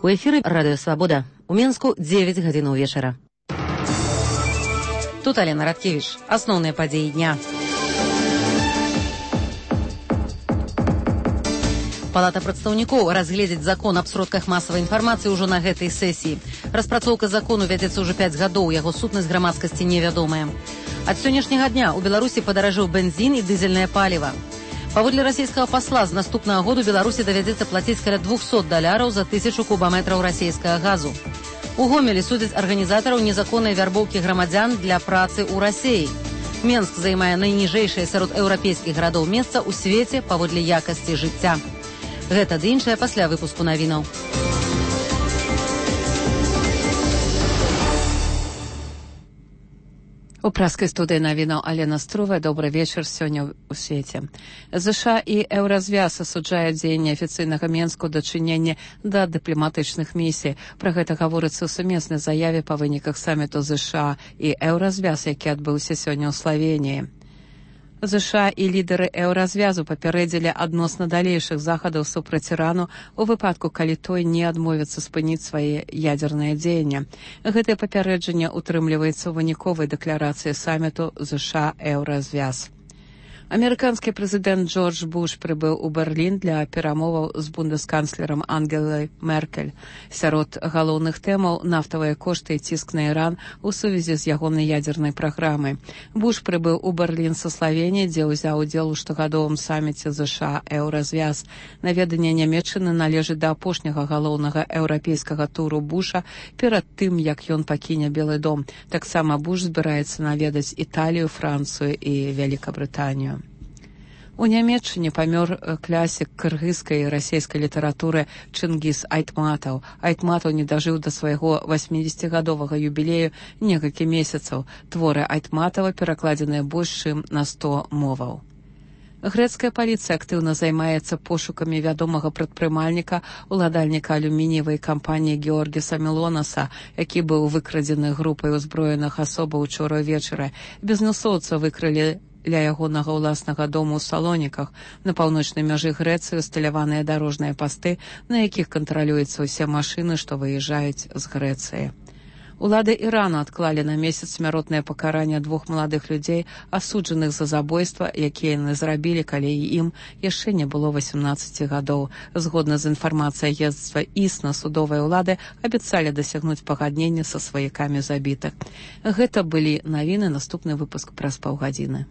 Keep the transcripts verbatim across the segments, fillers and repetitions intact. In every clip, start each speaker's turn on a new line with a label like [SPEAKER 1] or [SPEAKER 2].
[SPEAKER 1] У эфіры Радыё Свабода. У Менску дзевяць гадзін вечара. Тут Алена Радкевич. Асноўныя падзеі дня. Палата прадстаўнікоў разгледзіць закон аб сродках масавай інфармацыі ўжо на гэтай сесіі. Распрацоўка закону вядзецца ўжо пяць гадоў, яго сутнасць грамадскасці невядомая. Ад сённяшняга дня ў Беларусі падаражэў бензін і дызельнае паліва. Паводле расійскага пасла, з наступнага году Беларусі давядзецца плаціць каля двухсот даляраў за тысячу кубаметраў расійскага газу. У Гомелі судзяць арганізатараў незаконнай вярбоўкі грамадзян для працы ў Расіі. Менск займае найніжэйшае сярод еўрапейскіх гарадоў месца ў свеце паводле якасці жыцця. Гэта ды іншае пасля выпуску навінаў. У праскай студыі навінаў Алена Струвая. Добры вечар сёння ў свеце. ЗША і Еўразвяз асуджаюць дзеянні афіцыйнага Менску дачынення да дыпламатычных місій. Пра гэта гаворыцца ў сумеснай заяве па выніках саміту ЗША і Еўразвяз, які адбыўся сёння ў Славеніі. ЗША і лідары Еўразвязу папярэдзілі адносна далейшых захадаў супраць Ірану у выпадку, калі той не адмовіцца спыніць свае ядзернае дзеянне. Гэтае папярэджанне утрымліваецца ў выніковай дэкларацыі саміту ЗША-Еўразвяз. Амерыканскі прэзідэнт Джордж Буш прыбыў у Берлін для перамоваў з бундэсканцлерам Ангелай Меркель. Сярод галоўных тэмаў нафтавыя кошты і ціск на Іран у сувязі з ягонай ядзернай праграмай. Буш прыбыў у Берлін са Славеніі, дзе ўзяў удзел у штогадовым саміце ЗША-Еўразвяз. Наведанне Нямецчыны належыць да апошняга галоўнага еўрапейскага туру Буша перад тым, як ён пакіне Белы дом. Таксама Буш збіраецца наведаць Італію, Францыю і Вялікабрытанію. У Нямецчыне памёр класік кыргызскай і расійскай літаратуры Чынгіз Айтматаў. Айтматаў не дажыў да свайго васьмідзесяцігадовага юбілею некалькі месяцаў. Творы Айтматава перакладзеныя больш чым на сто моваў. Грэцкая паліцыя актыўна займаецца пошукамі вядомага прадпрымальніка, уладальніка алюмініевай кампаніі Георгіса Мелонаса, які быў выкрадзены групай узброеных асобаў учора ўвечары. Бізнэсоўца выкрылі ля ягонага ўласнага дому ў Салоніках. На паўночнай мяжы Грэцыі усталяваныя дарожныя пасты, на якіх кантралююцца ўсе машыны, што выязджаюць з Грэцыі. Улады Ірану адклалі на месяц смяротнае пакаранне двух маладых людзей, асуджаных за забойства, якія яны зрабілі, калі ім яшчэ не было васямнаццаці гадоў. Згодна з інфармацыяй агенцтва ІСНА, судовыя ўлады абяцалі дасягнуць пагаднення са сваякамі забітых. Гэта былі навіны, наступны выпуск праз паўгадзіны.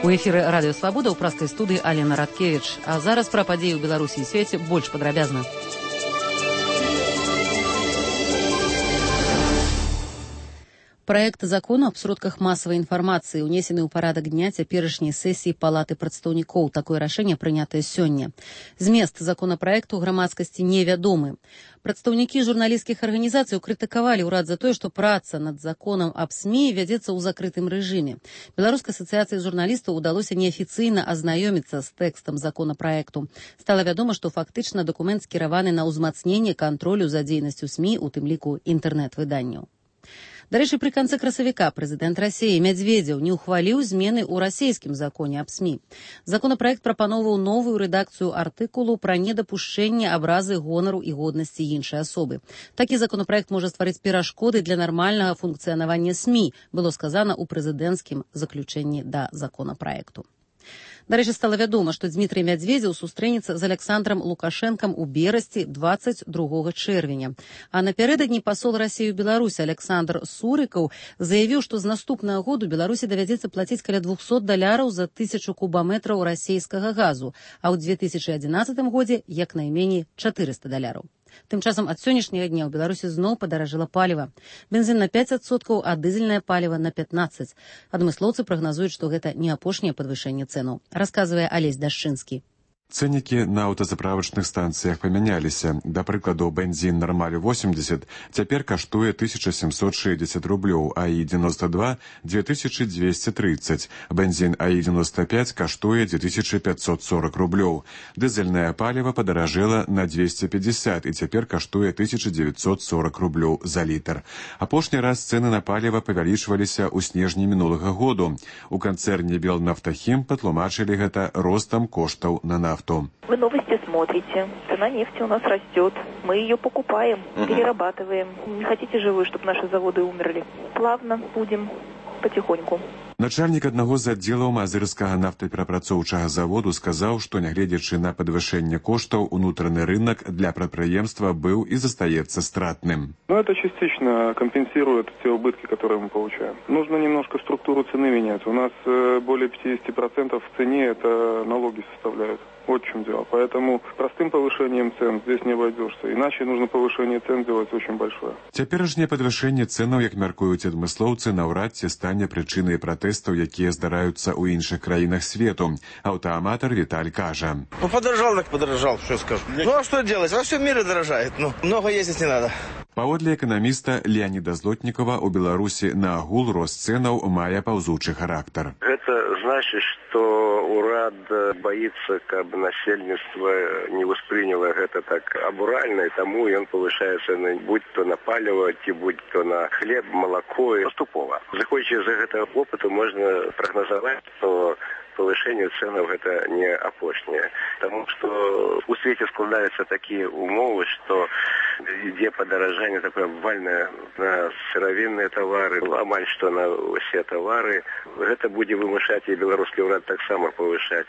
[SPEAKER 1] У эфіры Радыё Свабода ў праскай студыі Алена Радкевич. А зараз пра падзеі ў Беларусі і свеце больш падрабязна. Праект закону аб сродках масавай інфармацыі унесены ў парадак дня цяперашняй сесіі Палаты прадстаўнікоў. Такое рашэнне прынятае сёння. Змест законапраекту грамадскасці невядомы. Прадстаўнікі журналісцкіх арганізацый крытыкавалі ўрад за тое, што праца над законам аб СМІ вядзецца ў закрытым рэжыме. Беларускай асацыяцыі журналістаў удалося неафіцыйна азнаёміцца з тэкстам законапраекту. Стала вядома, што фактычна дакумент скіраваны на ўзмацненне кантролю за дзейнасцю СМІ, у тым ліку інтэрнэт-выданняў. Дарэчы, пры канцы красавіка прэзідэнт Расіі Мядзведзеў не ўхваліў змены ў расійскім законе аб СМІ. Законапраект прапаноўваў новую рэдакцыю артыкулу пра недапушчэнне абразы гонару і годнасці іншай асобы. Такі законапраект можа стварыць перашкоды для нармальнага функцыянавання СМІ, было сказана ў прэзідэнцкім заключэнні да законапраекту. Дарэчы, стала вядома, што Дзмітрый Мядзведзеў сустрэнецца з Александрам Лукашэнкам у Берасці дваццаць другога чэрвеня. А напярэдадні пасол Расіі ў Беларусі Александр Сурыкаў заявіў, што з наступнага году Беларусі давядзецца плаціць каля двухсот даляраў за тысячу кубаметраў расійскага газу, а ў две тысячы адзінаццатым годзе як найменей чатырыста даляраў. Тым часам ад сённяшняга дня ў Беларусі зноў падаражэла паліва. Бензін на пяць адсоткаў, а дызельнае паліва на пятнаццаць. Адмыслоўцы прагназуюць, што гэта не апошняе падвышэнне цэнаў. Расказвае Алесь Дашчынскі.
[SPEAKER 2] Цэнікі на аўтазаправачных станцыях памяняліся. Да прыкладу, бензін «Нормаль» восемьдесят цяпер каштуе тысяча семьсот шестьдесят рублёў, а і девяносто два – две тысячи двести тридцать. Бензін а і девяносто пять каштуе две тысячи пятьсот сорок рублёў. Дызельнае паліва падаражэла на двести пятьдесят і цяпер каштуе тысяча девятьсот сорок рублёў за літр. Апошні раз цэны на паліва павялічваліся ў снежні мінулага году. У канцэрне «Белнафтахім» патлумачылі гэта ростам коштаў на нафту.
[SPEAKER 3] Вы новости смотрите, цена нефти у нас растет, мы ее покупаем, угу. перерабатываем. Не хотите же вы, чтобы наши заводы умерли? Плавно будем, потихоньку.
[SPEAKER 2] Начальнік аднаго з аддзелаў мазырскага нафтаперапрацоўчага заводу сказаў, што нягледзячы на падвышэнне коштаў, унутраны рынок для прадпрыемства быў и застаецца стратным.
[SPEAKER 4] Но это частично компенсирует те убытки, которые мы получаем. Нужно немножко структуру цены менять. У нас более пятьдесят процентов в цене это налоги составляют. Вот в чем дело. Поэтому простым повышением цен здесь не обойдешься. Иначе нужно повышение цен делать очень большое.
[SPEAKER 2] Цяперашняе падвышэнне цэнаў, як мяркуюць адмыслоўцы, наўрад ці стане прычынай пратэстаў, якія здараюцца ў іншых краінах свету. Аўтааматар Віталь кажа.
[SPEAKER 5] Ну, подорожал, так подорожал, что скажу. Ну, а что делать? Во всем мире дорожает. Ну, много ездить не надо.
[SPEAKER 2] Паводле эканаміста Леаніда Злотнікова, у Беларусі на агул рост цэнаў мае паўзучы характар.
[SPEAKER 6] Это значит, что урад боится, каб насельніцтва не восприняло гэта так абуральна, и тому ён повышае цены, будь то на паліва, ці будь то на хлеб, молоко, и поступова. Заходячи з гэтага опыту, можна прагназаваць, што повышение ценов это не апошняе. Потому что у свете складываются такие умовы, что ідзе падаражанне такое обвальное на сыравінныя товары, амаль что на все товары. Гэта будзе вымушаць і беларускі ўрад таксама повышаць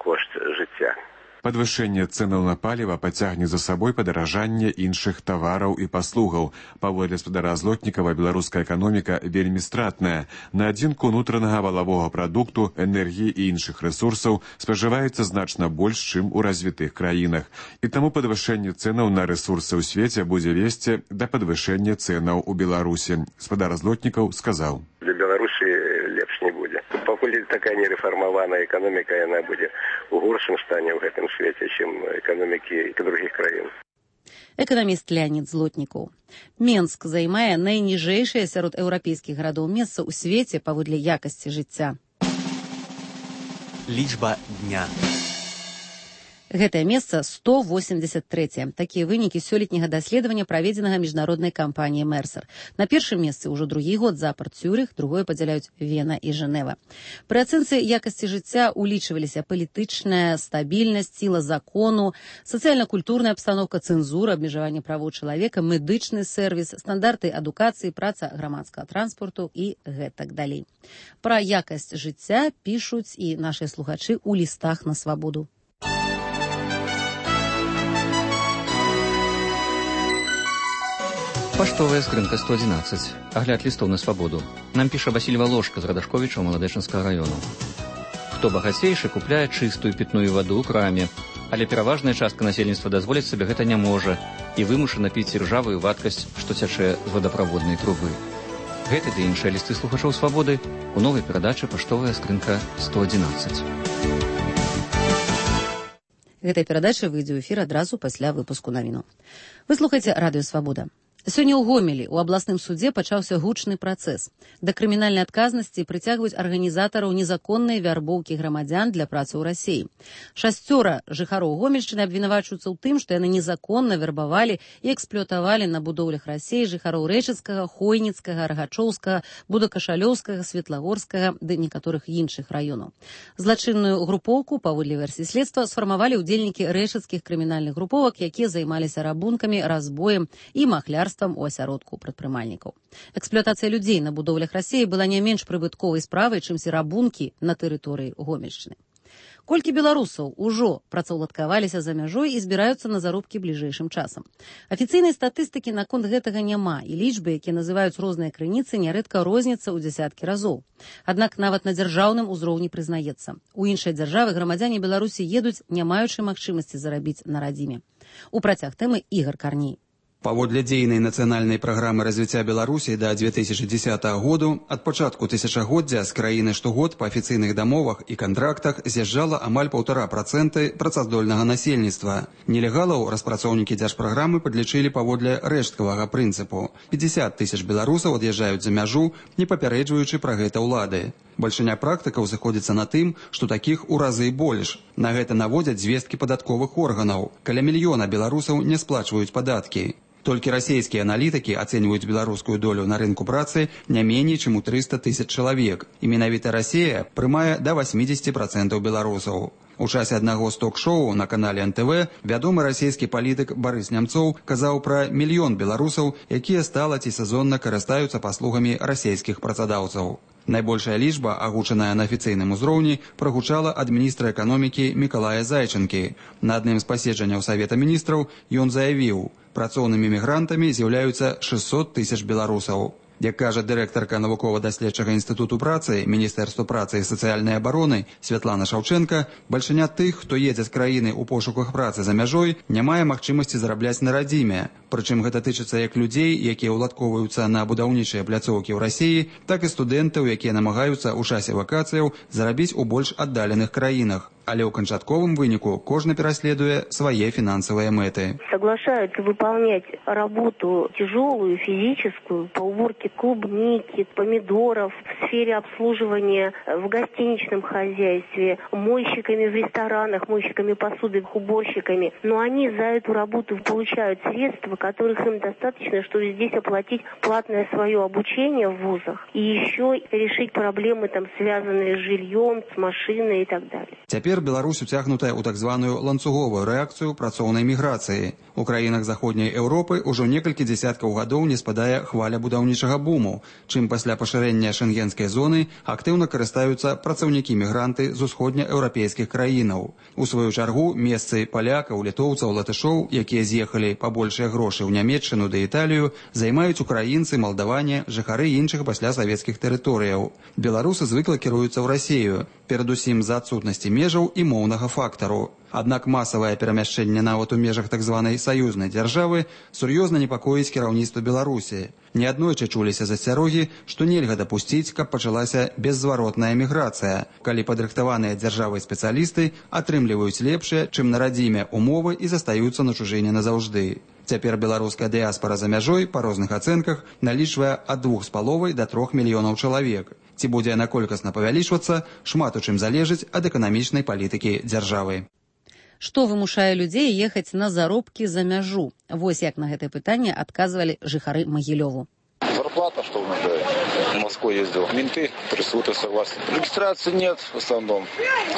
[SPEAKER 6] кошт жыцця.
[SPEAKER 2] Падвышэнне цэнаў на паліва пацягне за сабой падаражанне іншых тавараў і паслугаў. Паводле спадара Злотнікава, беларуская эканоміка вельмі стратная. На адзінку унутранага валавога прадукту, энергіі і іншых рэсурсаў спажываецца значна больш, чым у развітых краінах. І таму падвышэнне цэнаў на рэсурсы ў свеце будзе весці да падвышэння цэнаў у Беларусі. Спадар Злотнікаў сказаў.
[SPEAKER 6] Для Беларусі лепш не будзе. Пакуль такая нерэфармаваная эканоміка, яна будзе у горшым стане ў гэтым свеце, чым эканомікі других краін.
[SPEAKER 1] Эканаміст Леанід Злотнікаў. Менск займае найніжэйшае сярод еўрапейскіх гарадоў месца ў свеце паводле якасці жыцця.
[SPEAKER 7] Лічба дня.
[SPEAKER 1] Гэтае месца сто восемьдесят трэцяе. Такія вынікі сёлетняга даследавання, праведзенага міжнароднай кампаніяй Мерсер. На першым месцы ўжо другі год запар Цюрых, другое падзяляюць Вена і Жэнева. Пры ацэнцы якасці жыцця улічваліся палітычная стабільнасць, сіла закону, сацыяльна-культурная абстаноўка, цэнзура, абмежаванне правоў чалавека, медычны сервіс, стандарты адукацыі, праца грамадскага транспорту і гэтак далей. Пра якасць жыцця пішуць і нашыя слухачы ў лістах на свабоду.
[SPEAKER 8] Паштовая скрынка сто одиннадцать. Агляд лістоў на свабоду. Нам піша Васіль Валошка з Радашковіча Маладэчынскага раёну. Хто багацейшы, купляе чыстую пітную ваду ў краме, але пераважная частка насельніцтва дазволіць сабе гэта не можа і вымушана піць іржавую вадкасць, што цячэ з вадаправоднай трубы. Гэты ды іншыя лісты слухачоў свабоды у новай перадачы «Паштовая скрынка сто одиннадцать».
[SPEAKER 1] Гэтая перадача выйдзе ў эфір адразу пасля выпуску навіну. Вы слухаеце радыё «Свабода». Сёння ў Гомелі ў абласным судзе пачаўся гучны працэс. Да крымінальнай адказнасці прыцягваюць арганізатараў незаконнай вярбоўкі грамадзян для працы ў Расіі. Шасцёра жыхароў Гомельшчыны абвінавачваюцца ў тым, што яны незаконна вярбавалі і эксплуатавалі на будоўлях Расіі жыхароў Рэчыцкага, Хойніцкага, Рагачоўскага, Будакашалёўскага, Светлагорскага ды некаторых іншых раёнаў. Злачынную групоўку, паводле версіі следства, сфармавалі ўдзельнікі рэчыцкіх крымінальных груповак, якія займаліся рабункамі, разбоем і махлярствам у асяродку прадпрымальнікаў. Эксплуатацыя людзей на будоўлях Расіі была не менш прыбытковай справай, чымся рабункі на тэрыторыі Гомельшчыны. Колькі беларусаў ужо працаўладкаваліся за мяжой і збіраюцца на заробкі бліжэйшым часам. Афіцыйнай статыстыкі наконт гэтага няма, і лічбы, якія называюць розныя крыніцы, нярэдка розняцца ў дзясяткі разоў. Аднак нават на дзяржаўным узроўні прызнаецца. У іншыя дзяржавы грамадзяне Беларусі едуць, не маючы магчымасці зарабіць на радзіме. У працяг тэмы Ігар Карней.
[SPEAKER 7] Паводле дзейнай нацыянальнай праграмы развіцця Беларусі да две тысячи дзесятага году ад пачатку тысячагоддзя з краіны штогод па афіцыйных дамовах і кантрактах з'язджала амаль паўтара працэнты працаздольнага насельніцтва. Нелегалаў распрацоўнікі дзяржпраграмы падлічылі паводле рэшткавага прынцыпу. пятьдесят тысяч беларусаў ад'язджаюць за мяжу, не папярэджваючы пра гэта ўлады. Бальшыня практыкаў заходзіцца на тым, што такіх у разы больш. На гэта наводзяць звесткі падатковых органаў. Каля мільёна беларусаў не сплачваюць падаткі. Толькі расійскія аналітыкі ацэньваюць беларускую долю на рынку працы не меней, чым у триста тысяч чалавек. І менавіта Расія прымае да восьмидесяти процентов беларусаў. У часе аднаго з ток-шоу на канале эн тэ вэ вядомы расійскі палітык Барыс Нямцоў казаў пра мільён беларусаў, якія стала ці сезонна карыстаюцца паслугамі расійскіх працадаўцаў. Найбольшая лічба, агучаная на афіцыйным узроўні, прагучала ад міністра эканомікі Мікалая Зайчынкі. На адным з паседжанняў Савета міністраў ён заявіў, працоўнымі мігрантамі з'яўляюцца шестьсот тысяч беларусаў. Як кажа дырэктарка навукова-даследчага інстытуту працы Міністэрства працы і сацыяльнай абароны Святлана Шаўчэнка, бальшыня тых, хто едзе з краіны ў пошуках працы за мяжой, не мае магчымасці зарабляць на радзіме. Прычым гэта тычыцца як людзей, якія ўладкоўваюцца на будаўнічыя пляцоўкі ў Расіі, так і студэнтаў, якія намагаюцца ў часе вакацыяў зарабіць у больш аддаленых краінах. Але ў канчатковым выніку кожны пераследуе свае фінансавыя мэты.
[SPEAKER 9] Соглашаются выполнять работу тяжелую, физическую, по уборке клубники, помидоров, в сфере обслуживания в гостиничном хозяйстве, мойщиками в ресторанах, мойщиками посуды, уборщиками. Но они за эту работу получают средства, которых им достаточно, чтобы здесь оплатить платное свое обучение в вузах и еще решить проблемы, там, связанные с жильем, с машиной и так далее.
[SPEAKER 7] Цяпер Беларусь уцягнутая ў так званую ланцуговую рэакцыю працоўнай міграцыі. У краінах заходняй Еўропы ўжо некалькі дзесяткаў гадоў не спадае хваля будаўнічага буму, чым пасля пашырэння шэнгенскай зоны актыўна карыстаюцца працаўнікі-мігранты з усходнееўрапейскіх краінаў. У сваю чаргу месцы палякаў, літоўцаў, латышоў, якія з'ехалі па большыя грошы ў Нямецчыну ды Італію, займаюць украінцы, малдаване, жыхары іншых пасля савецкіх тэрыторыяў. Беларусы звыкла кіруюцца ў Расію, перадусім з-за адсутнасці межаў і моўнага фактару. Аднак масавае перамяшчэнне нават у межах так званай саюзнай дзяржавы сур'ёзна непакоіць кіраўніцтва Беларусі. Неаднойчы чуліся засцярогі, што нельга дапусціць, каб пачалася беззваротная міграцыя, калі падрыхтаваныя дзяржавай спецыялісты атрымліваюць лепшыя, чым на радзіме умовы і застаюцца на чужыне назаўжды. Цяпер беларуская дыяспара за мяжой па розных ацэнках налічвае ад двух з паловай да трох мільёнаў чалавек. Ці будзе яна колькасна павялічвацца, шмат у чым залежыць ад эканамічнай палітыкі дзяржавы.
[SPEAKER 1] Што вымушае людзей ехаць на заробкі за мяжу? Вось як на гэтае пытанне адказвалі жыхары Магілёву.
[SPEAKER 10] Зарплата, что в Москву ездил. Менты трясут и согласны. Регистрации нет в основном.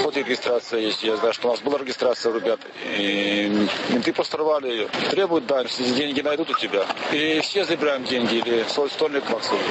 [SPEAKER 10] Хоть и регистрация есть. Я знаю, что у нас была регистрация, ребят. И менты посторвали ее. Требуют, да, если деньги найдут у тебя. И все забираем деньги. Или свой стольник максимум.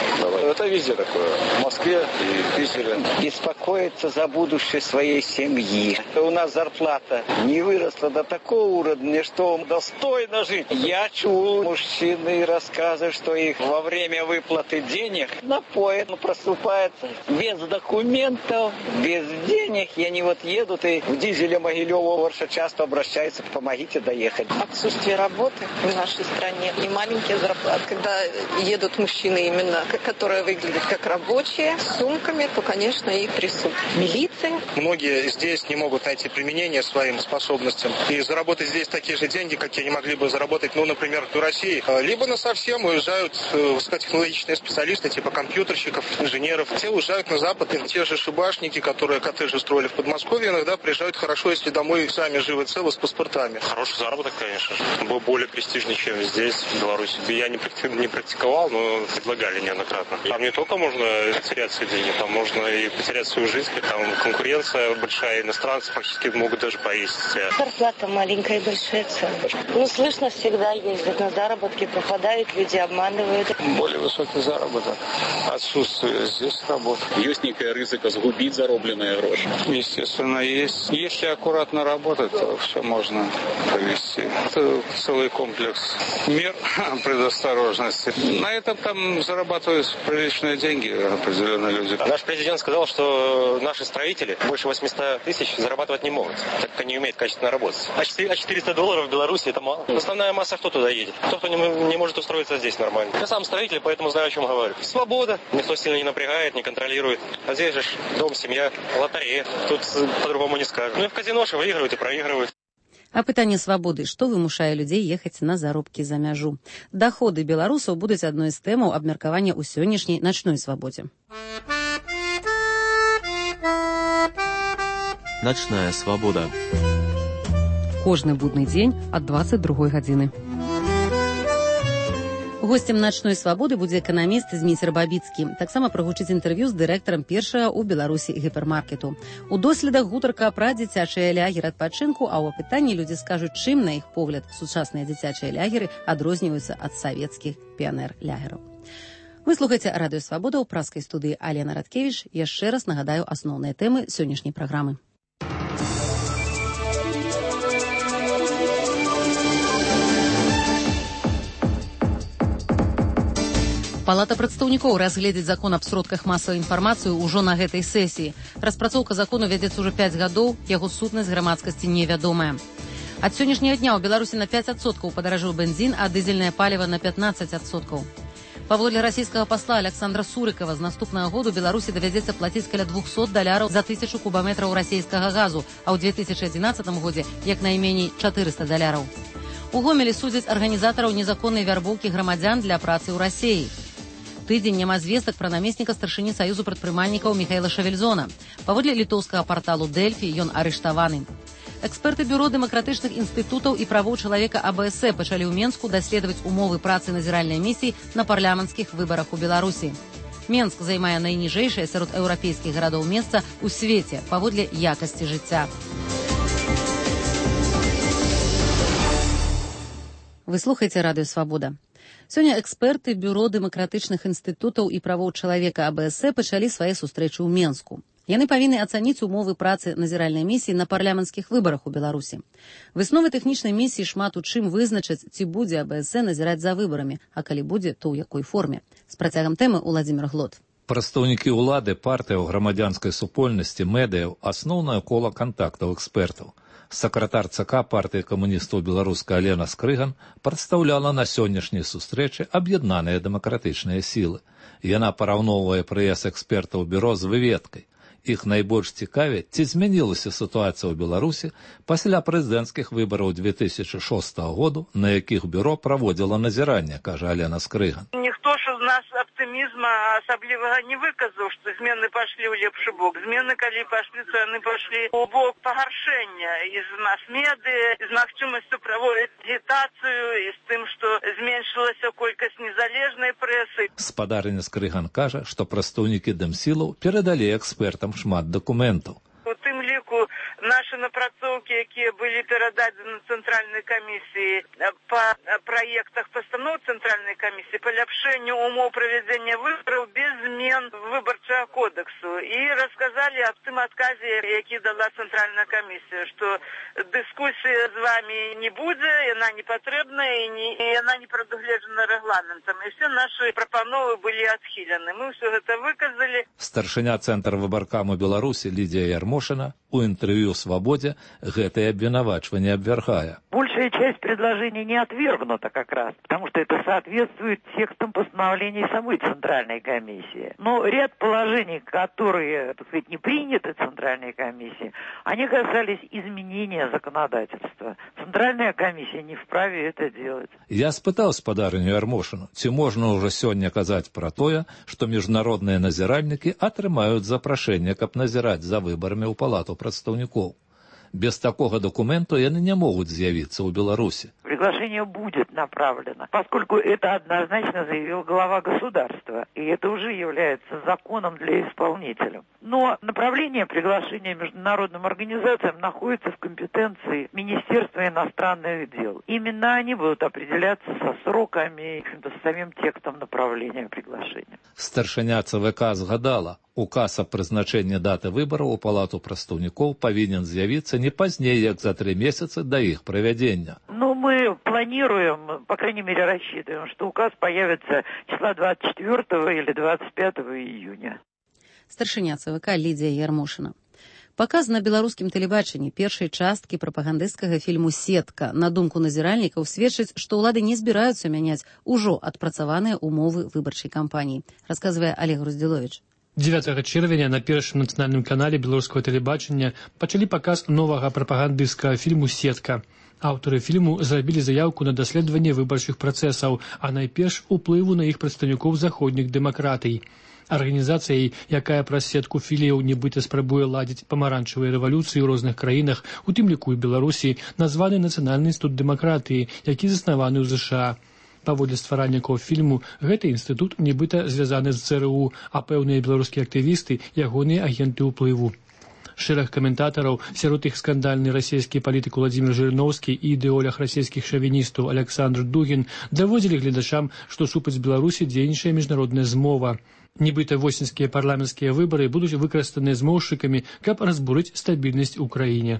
[SPEAKER 10] Это везде такое. В Москве и в Питере.
[SPEAKER 11] Беспокоиться за будущее своей семьи. У нас зарплата не выросла до такого уровня, что достойно жить. Я чул мужчины рассказы, что их во время выплаты денег напоят, просыпается без документов, без денег. И они вот едут и в дизеле Могилёва очень часто обращаются, помогите доехать.
[SPEAKER 12] Отсутствие работы в нашей стране и маленькие зарплаты. Когда едут мужчины именно, которые выглядят как рабочие, с сумками, то, конечно, их трясут. Милиция.
[SPEAKER 13] Многие здесь не могут найти применение своим способностям и заработать здесь такие же деньги, какие они могли бы заработать, ну, например, в России. Либо насовсем уезжают высокотехнологичные специалисты, типа компьютерщиков, инженеров. Те уезжают на Запад, и те же шибашники, которые коттеджи строили в Подмосковье, иногда приезжают хорошо, если домой сами живы целы с паспортами.
[SPEAKER 14] Хороший заработок, конечно. Был более престижный, чем здесь, в Беларуси. Я не практиковал, но предлагали неоднократно. Там не только можно потерять свои деньги, там можно и потерять свою жизнь. Там конкуренция большая, иностранцы фактически могут даже повесить.
[SPEAKER 15] Зарплата маленькая и большая цена. Ну, слышно, всегда ездят на заработки, попадают люди, обманывают.
[SPEAKER 10] Более высокий заработок, отсутствие здесь работы.
[SPEAKER 15] Есть некая рызыка сгубить заробленные гроши?
[SPEAKER 10] Естественно, есть. Если аккуратно работать, то все можно провести. Это целый комплекс мер предосторожности. На этом там зарабатывают приличные деньги определенные люди.
[SPEAKER 16] Наш президент сказал, что наши строители больше восемьсот тысяч зарабатывать не могут, так как они умеют качественно работать. А четыреста долларов в Беларуси это мало. Основная масса кто туда едет? Кто, кто не, не может устроиться здесь нормально. Я сам строитель, поэтому знаю, о чем говорю. Свобода. Никто сильно не напрягает, не контролирует. А здесь же дом, семья, лотерея. Тут по-другому не скажешь. Ну и в казино же выигрывают и проигрывают.
[SPEAKER 1] А пытанне свабоды, што вымушае людзей ехаць на заробкі за мяжу. Даходы беларусаў будуць адной з тэмаў абмеркавання ў сённяшняй начной свабодзе.
[SPEAKER 17] Ночная свобода.
[SPEAKER 1] Кожны будны дзень ад дваццаць другой гадзіны. Гостем начной свабоды будзе эканаміст Зміцер Бабіцкі. Таксама прагучыць інтэрв'ю з дырэктарам першага ў Беларусі гіпермаркету. У доследах гутарка пра дзіцячыя лягеры адпачынку, а ў апытанні людзі скажуць, чым, на іх погляд, сучасныя дзіцячыя лягеры адрозніваюцца ад савецкіх піянер-лягераў. Вы слухаеце радыё Свабода ў праскай студыі Алена Радкевіч. Яшчэ раз нагадаю асноўныя тэмы сённяшняй праграмы. Палата прадстаўнікоў разгледзіць закон аб сродках масавай інфармацыі ўжо на гэтай сесіі. Распрацоўка закону вядзецца ўжо пяць гадоў, яго сутнасць грамадскасці невядомая. Ад сённяшняга дня ў Беларусі на пяць адсоткаў падаражэў бензін, а дызельнае паліва на пятнаццаць адсоткаў. Паводле расійскага пасла Александра Сурыкова, з наступнага году Беларусі давядзецца плаціць каля двухсот даляраў за тысячу кубаметраў расійскага газу, а ў две тысячы адзінаццатым годзе як найменей чатырыста даляраў. У Гомелі судзяць арганізатараў незаконнай вярбоўкі грамадзян для працы ў Расіі. Тыдзень няма звестак пра намесніка старшыні Саюзу прадпрымальнікаў Міхаіла Шавельзона. Паводле літоўскага парталу Дэльфі ён арыштаваны. Эксперты бюро дэмакратычных інстытутаў і правоў чалавека А Бэ Эс пачалі ў Менску даследаваць умовы працы назіральнай місіі на парламенцкіх выбарах у Беларусі. Менск займае найніжэйшае сярод еўрапейскіх гарадоў месца ў свеце паводле якасці жыцця. Вы слухаеце радыё Свабода. Сёння эксперты бюро дэмакратычных інстытутаў і правоў чалавека А Бэ Эс пачалі свае сустрэчы ў Менску. Яны павінны ацаніць умовы працы назіральнай місіі на парламенцкіх выбарах у Беларусі. Высновы тэхнічнай місіі шмат у чым вызначаць, ці будзе А Бэ Эс назіраць за выбарамі, а калі будзе, то ў якой форме. З працягам тэмы Уладзімір Глот.
[SPEAKER 18] Прадстаўнікі ўлады, партыяў, грамадзянскай супольнасці, медыяў – асноўнае кола кантактаў экспертаў. Сакратар ЦК партыі камуністаў беларускай Алена Скрыган прадстаўляла на сённяшняй сустрэчы аб'яднаныя дэмакратычныя сілы. Яна параўноўвае прыезд экспертаў бюро з выведкай. Іх найбольш цікавіць, ці змянілася сітуацыя ў Беларусі пасля прэзідэнцкіх выбараў две тысячы шостага году, на якіх бюро праводзіла назіранне, кажа Алена Скрыган.
[SPEAKER 19] Ніхто ж з нас аптымізма асаблівага не выказаў, што змены пашлі ў лепшы бок. Змены, калі пашлі, то яны пашлі ў бок пагаршэння і з мас-медыі, з магчымасцю праводзіць агітацыю і з тым, што зменшылася колькасць незалежнай прэсы.
[SPEAKER 18] Спадарыня Скрыган кажа, што прадстаўнікі дэмсілаў перадалі экспертам шмат дакументаў.
[SPEAKER 19] У тым ліку нашы напрацоўкі, якія былі перададзены цэнтральнай камісіі па праектах пастаноў цэнтральнай камісіі па ляпшэнню умоў правядзення выбараў без змен выбарчага кодексу. І расказалі аб тым адказе, які дала цэнтральная камісія, што дыскусія з вамі не будзе, яна не патрэбная і, не, і яна не прадугледжана рэгламентам. І все нашы прапановы былі адхілены. Мы ўсё гэта выказалі.
[SPEAKER 18] Старшыня цэнтра выбаркаму Беларусі Лідія Ярмошина у интервью «Свободе» гэтое обвинувачивание обвергая.
[SPEAKER 20] Большая часть предложений не отвергнута как раз, потому что это соответствует текстам постановлений самой Центральной комиссии. Но ряд положений, которые, так сказать, не приняты Центральной комиссией, они касались изменения законодательства. Центральная комиссия не вправе это делать.
[SPEAKER 18] Я спытал спадарыню Ярмошину, ці можно уже сегодня казать про тое, что международные назиральники отрымают запрошение, каб назирать за выборами у палату прадстаўнікоў. Без такога документу яны не могуць з'явіцца ў Беларуси.
[SPEAKER 20] Приглашение будет направлено, поскольку это однозначно заявил глава государства, и это уже является законом для исполнителя. Но направление приглашения международным организациям находится в компетенции Министерства иностранных дел. Именно они будут определяться со сроками, с самим текстом направления приглашения.
[SPEAKER 18] Старшыня ЦВК згадала, указ о прызначэнні даты выбораў у палату прадстаўнікоў павінен з'явіцца не пазней, як за три месяца до их проведения.
[SPEAKER 20] Ну, мы планируем, по крайней мере, рассчитываем, что указ появится числа двадцать четвёртого или двадцать пятого июня.
[SPEAKER 1] Старшыня ЦВК Лідія Ярмошына. Паказ на беларускім тэлебачанні першай часткі прапагандысцкага фільму «Сетка», на думку назіральнікаў, сведчыць, што ўлады не збіраюцца мяняць ужо адпрацаваныя умовы выбарчай кампаніі, расказвае Олег Груздзіловіч.
[SPEAKER 17] дзевятага чэрвеня на першым нацыянальным канале беларускага тэлебачання пачалі паказ новага прапагандысцкага фільму «Сетка». Аўтары фільму зрабілі заяўку на даследаванне выбарчых працэсаў, а найперш уплыву на іх прадстаўнікоў заходніх дэмакратый. Арганізацыяй, якая праз сетку філіяў нібыта спрабуе ладзіць памаранчавыя рэвалюцыі ў розных краінах, у тым ліку і Беларусі, названы Нацыянальны інстытут дэмакратыі, які заснаваны ў ЗША. Паводле стваральнікаў фільму, гэты інстытут нібыта звязаны з ЦРУ, а пэўныя беларускія актывісты – ягоныя агенты ўплыву. Шэраг каментатараў, сярод іх скандальны расійскі палітык Владзімір Жырыноўскі і ідэолог расійскіх шавіністаў Александр Дугін даводзілі гледачам, што супраць Беларусі дзейнічае міжнародная змова. Нібыта восеньскія парламенцкія выбары будуць выкарыстаныя змоўшчыкамі, каб разбурыць стабільнасць у краіне.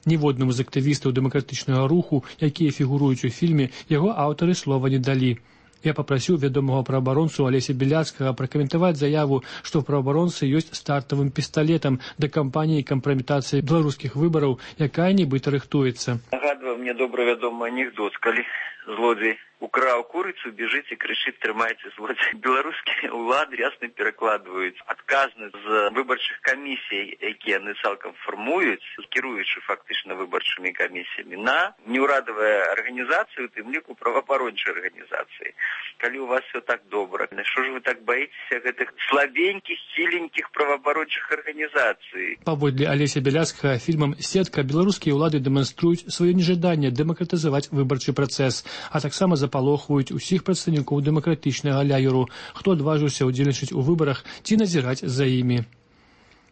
[SPEAKER 17] Ніводнаму з актывістаў дэмакратычнага руху, якія фігуруюць у фільме, яго аўтары слова не далі. Я папрасіў вядомага праабаронцу Алеся Беляцкага пракаментаваць заяву, што ў праабаронцы ёсць стартавым пісталетам да кампаніі кампраметацыі беларускіх выбараў, якая нібыта рыхтуецца.
[SPEAKER 21] Нагадвае мне добра вядомы анекдот, калі злодзей украў курыцу, бежыць і крычыць «трымайце злодзей». Беларускія ўлады ясна перакладваюць адказнасць з выбарчых камісій, якія яны цалкам фармуюць, кіруючы фактычна выбарчымі камісіямі, на неўрадавыя арганізацыі, у тым ліку праваабарончыя арганізацыі. Калі у вас все так добра, што ж вы так баіцеся гэтых слабенькіх, хіленькіх праваабарончых арганізацый?
[SPEAKER 17] Паводле Алеся Беляцкага фільмам «Сетка» беларускія ўлады дэманструюць сваё нежаданне дэмакратызаваць выбарчы працэс, а таксама запалохваюць усіх прадстаўнікоў дэмакратычнага ляюру, хто адважыўся ўдзельнічаць у выбарах ці назіраць за імі.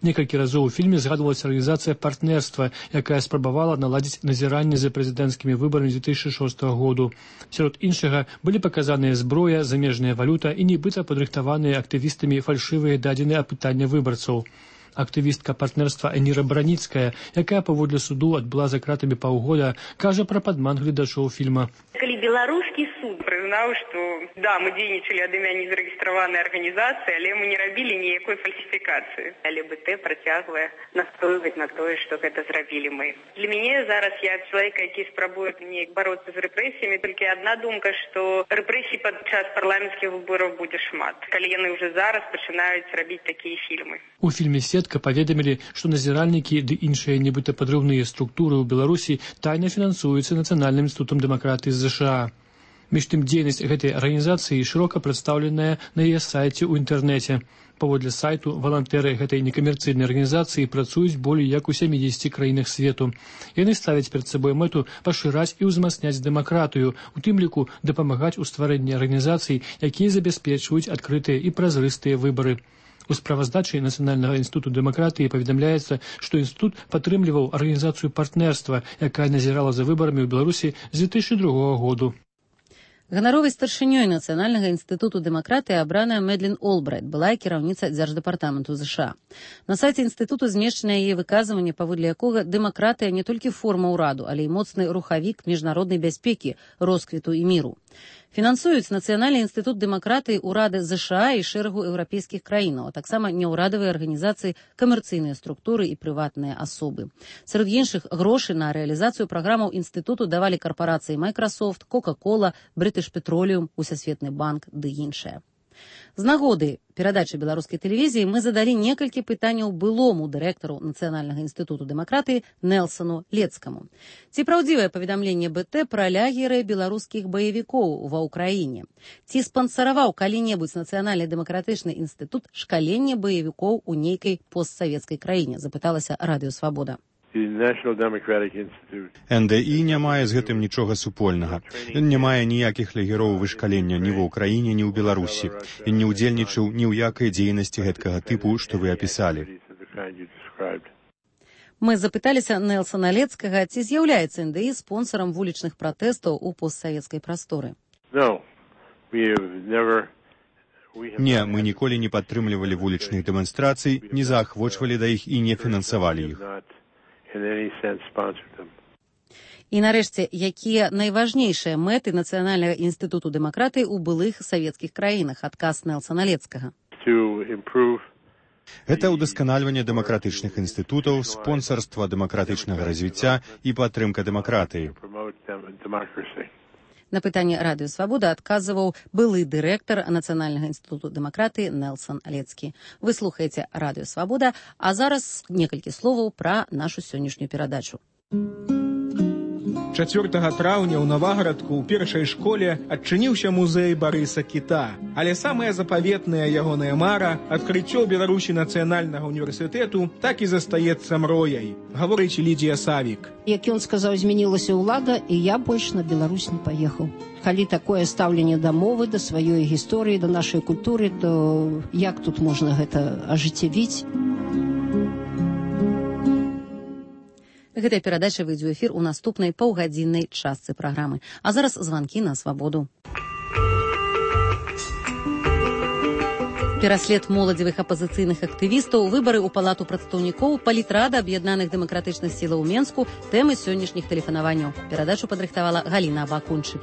[SPEAKER 17] Некалькі разоў у фільме згадвалася арганізацыя партнерства, якая спрабавала наладзіць назіранне за прэзідэнцкімі выбарамі две тысячи шостага году. Сярод іншага былі паказаныя зброя, замежная валюта і нібыта падрыхтаваныя актывістамі фальшывыя дадзеныя апытання выбарцаў. Актывістка партнерства Эніра Браніцкая, якая паводле суду адбыла за кратамі паўгода, кажа пра падман гледачоў фільма.
[SPEAKER 22] Калі беларускі суд прызнаў, што да, мы дзейнічалі ад імя незарэгістраванай арганізацыі, але мы не рабілі ніякой фальсіфікацыі. ЛГБТ працягвае настойваць на тое, што гэта зрабілі мы. Для мяне зараз, я чалавек, які спрабуе неяк бароцца з рэпрэсіямі, толькі адна думка, што рэпрэсій падчас парламенцкіх выбораў будзе шмат, калі яны ўжо зараз пачынаюць рабіць такія фільмы.
[SPEAKER 17] У фільме «Сетка» паведамілі, што назіральнікі ды іншыя нібыта падрыўныя структуры ў Беларусі тайна фінансуюцца Нацыянальным інстытутам дэмакратыі з ЗША. Між тым, дзейнасць гэтай арганізацыі шырока прадстаўленая на яе сайце ў інтэрнэце. Паводле сайту, валантэры гэтай некамерцыйнай арганізацыі працуюць болей як у сямідзесяці краінах свету. Яны ставяць перад сабой мэту пашыраць і ўзмацняць дэмакратыю, у тым ліку дапамагаць у стварэнні арганізацый, якія забяспечваюць адкрытыя і празрыстыя выбары. У справаздачы Нацыянальнага інстытуту дэмакратыі паведамляецца, што інстытут падтрымліваў арганізацыю партнерства, якая назірала за выбарамі ў Беларусі з две тысячи другога году.
[SPEAKER 1] Ганаровай старшынёй Нацыянальнага інстытуту дэмакратыі абраная Мэдлін Олбрайт, былая кіраўніца дзярждэпартаменту ЗША. На сайце інстытуту змешчана яе выказванне, паводле якога дэмакратыя не толькі форма ўраду, але і моцны рухавік міжнароднай бяспекі, росквіту і міру. Фінансуюць Нацыянальны інстытут дэмакратыі ўрады ЗША і шэрагу еўрапейскіх краінаў, а таксама няўрадавыя арганізацыі, камерцыйныя структуры і прыватныя асобы. Сярод іншых грошы на рэалізацыю праграмаў інстытуту давалі карпорацыі Microsoft, Coca-Cola, British Petroleum, Усесветны банк ды іншыя. З нагоды перадачы беларускай тэлевізіі мы задалі некалькі пытанняў былому дырэктару Нацыянальнага інстытуту дэмакратыі Нэлсану Лецкаму. Ці праўдзівае паведамленне БТ пра лагеры беларускіх баевікоў ва ўкраіне? Ці спансараваў калі-небудзь Нацыянальны дэмакратычны інстытут шкаленне баевікоў у нейкай постсавецкай краіне? Запыталася Радыё Свабода.
[SPEAKER 3] эн дэ і не мае з гэтым нічога супольнага. Ён не мае ніякіх лагероў вышкалення ні ва ўкраіне, ні ў Беларусі. Ён не ўдзельнічаў ні ў якай дзейнасці гэткага тыпу, што вы апісалі.
[SPEAKER 1] Мы запыталіся Нэлсана Алецкага, ці з'яўляецца эн дэ і спонсорам вулічных пратэстаў у постсавецкай прасторы.
[SPEAKER 3] Не, мы ніколі не падтрымлівалі вулічных дэманстрацый, не заахвочвалі да іх і не фінансавалі іх.
[SPEAKER 1] І нарэшце, якія найважнейшыя мэты Нацыянальнага інстытуту дэмакратыі ў былых савецкіх краінах? Адказ Нэлсана Алецкага.
[SPEAKER 3] Гэта ўдасканальванне дэмакратычных інстытутаў, спонсарства дэмакратычнага развіцця і падтрымка дэмакратыі.
[SPEAKER 1] На пытанне Радыё Свабода адказваў былы дырэктар Нацыянальнага інстытуту дэмакратыі Нэлсан Алецкі. Вы слухаеце Радыё Свабода, а зараз некалькі словаў пра нашу сённяшнюю перадачу.
[SPEAKER 4] чацвёртага траўня ў Навагарадку ў першай школе адчыніўся музей Барыса Кіта. Але самая запаветная ягоная мара, адкрыццё Беларусі нацыянальнага універсітэту, так і застаецца мрояй, гаворыць Лідія Савік.
[SPEAKER 23] Як ён сказаў, змянілася ўлада, і я больш на Беларусь не паехаў. Калі такое стаўленне да мовы, да сваёй гісторыі, да нашай культуры, то як тут можна гэта ажыццявіць?
[SPEAKER 1] Гэтая перадача выйдзе ў эфір у наступнай паўгадзіннай частцы праграмы. А зараз званкі на свабоду. Пераслед моладзевых апазіцыйных актывістаў, выбары ў палату прадстаўнікоў, палітрада аб'яднаных дэмакратычных сілаў у Менску, тэмы сённяшніх тэлефанаванняў. Перадачу падрыхтавала Галіна Абакунчык.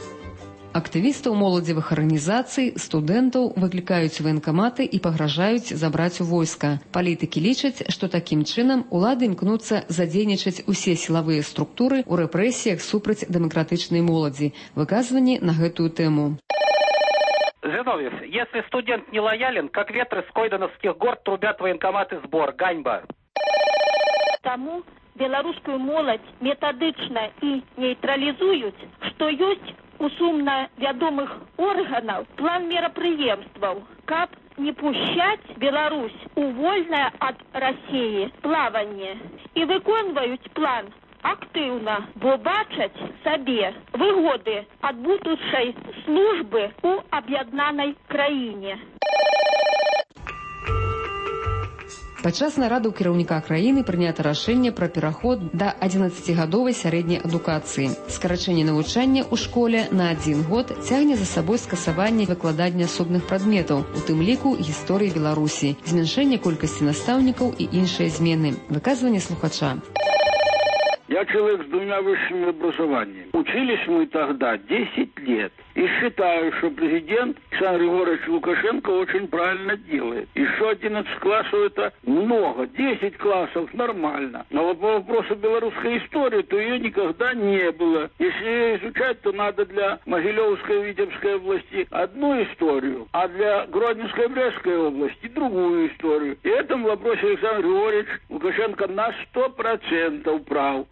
[SPEAKER 1] Актывістаў моладзевых арганізацый, студэнтаў выклікаюць ваенкаматы і пагражаюць забраць у войска. Палітыкі лічаць, што такім чынам улады імкнуцца задзейнічаць усе сілавыя структуры ў рэпрэсіях супраць дэмакратычнай моладзі. Выказванні на гэтую тэму.
[SPEAKER 24] Зиновьев, если студент не лоялен, как ветры с Койдановских гор трубят военкоматы сбор. Ганьба.
[SPEAKER 25] Таму беларускую моладзь метадычна і нейтралізуюць, што ёсць у сумна вядомых органаў план мерапрыемстваў, каб не пушчаць Беларусь у вольнае ад Расіі плаванне. І выконваюць план актыўна, бо бачаць сабе выгоды ад будучай службы у аб'яднанай краіне.
[SPEAKER 1] Падчас нарады ў кіраўніка краіны прынята рашэнне пра пераход да адзінаццацігадовай сярэдняй адукацыі. Скарачэнне навучання ў школе на адзін год цягне за сабой скасаванне выкладання асобных прадметаў, у тым ліку гісторыі Беларусі, змяншэнне колькасці настаўнікаў і іншыя змены. Выказванне слухача.
[SPEAKER 26] Я человек с двумя высшими образованиями. Учились мы тогда десять лет. И считаю, что президент Александр Егорович Лукашенко очень правильно делает. Еще одиннадцать классов это много. десять классов нормально. Но вот по вопросу белорусской истории, то ее никогда не было. Если ее изучать, то надо для Могилевской и Витебской области одну историю, а для Гродненской и Брестской области другую историю. И в этом вопросе Александр Григорьевич Лукашенко на сто процентов прав.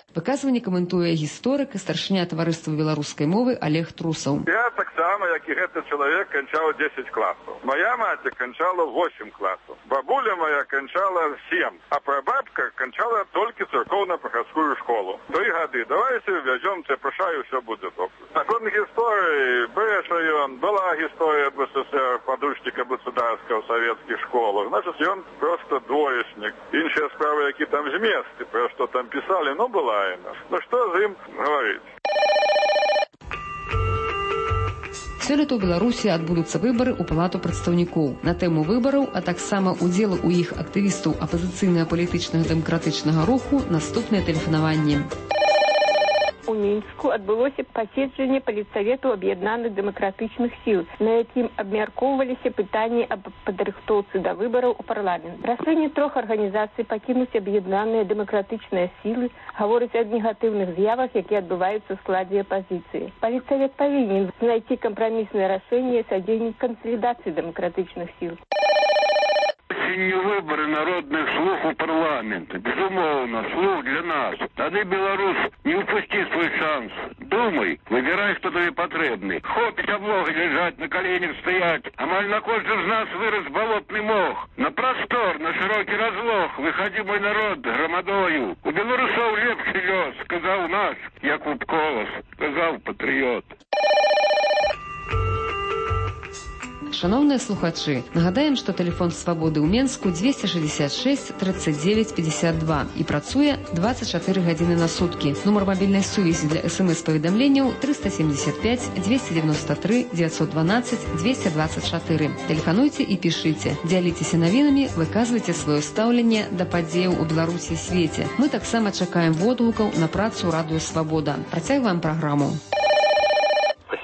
[SPEAKER 1] Выказванне каментуе гісторык і старшыня таварыства беларускай мовы Олег Трусаў.
[SPEAKER 27] Я так само, як і гэты чалавек, канчаў десять класаў. Моя маці канчала восемь класаў. Бабуля моя канчала семь, а прабабка канчала толькі церковно-прыходскую школу. Три гады. Давайте вязем ЦПШ і все буде добре. Наконт гісторыі, брэша ён, была гісторыя об СССР, падручника государства в советских школах. Значит, ён просто двоечник. Іншыя справы, які там зместы, про что там писали, ну, была. Ну што з ім гаварыць?
[SPEAKER 1] Сёлета ў Беларусі адбудуцца выбары ў палату прадстаўнікоў. На тэму выбараў, а таксама удзелу ў іх актывістаў апазіцыйна-палітычнага дэмакратычнага руху наступнае тэлефанаванне.
[SPEAKER 25] У Мінску адбылося паседжанне палітсавету аб'яднаных дэмакратычных сіл, на якім абмяркоўваліся пытанні аб падрыхтоўцы да выбараў у парламент. Рашэнне трох арганізацый пакінуць аб'яднаныя дэмакратычныя сілы гаворыць аб негатыўных з'явах, якія адбываюцца ў складзе апазіцыі. Палітсавет павінен знайсці кампраміснае рашэнне і садзейніць кансалідацыі дэмакратычных сіл.
[SPEAKER 26] сёння выборы народных слуг у парламента. Безумовно, слуг для нас. Тады, белорус, не упусти свой шанс. Думай, выбирай, кто тебе потребный. Хопить облога лежать, на коленях стоять. Амаль на каждом из нас вырос болотный мох. На простор, на широкий разлог. Выходи, мой народ, громадою. У белорусов лепший лёс, сказал наш Якуб Колос, сказал патрыёт.
[SPEAKER 2] Шановныя слухачы, нагадаем, што тэлефон свабоды ў Менску дзвесце шэсцьдзесят шэсць тридцать девять пятьдесят два і працуе двадцать чатыры гадзіны на суткі. Нумар мабільнай сувязі для смс-паведамленняў триста семьдесят пять двести девяносто три девятьсот двенадцать двести двадцать четыре. Тэлефануйце і пішыце. Дзяліцеся навінамі, выказвайце сваё стаўленне да падзеяў у Беларусі і свеце. Мы таксама чакаем водгукаў на працу радыё Свабода. Працягваем праграму.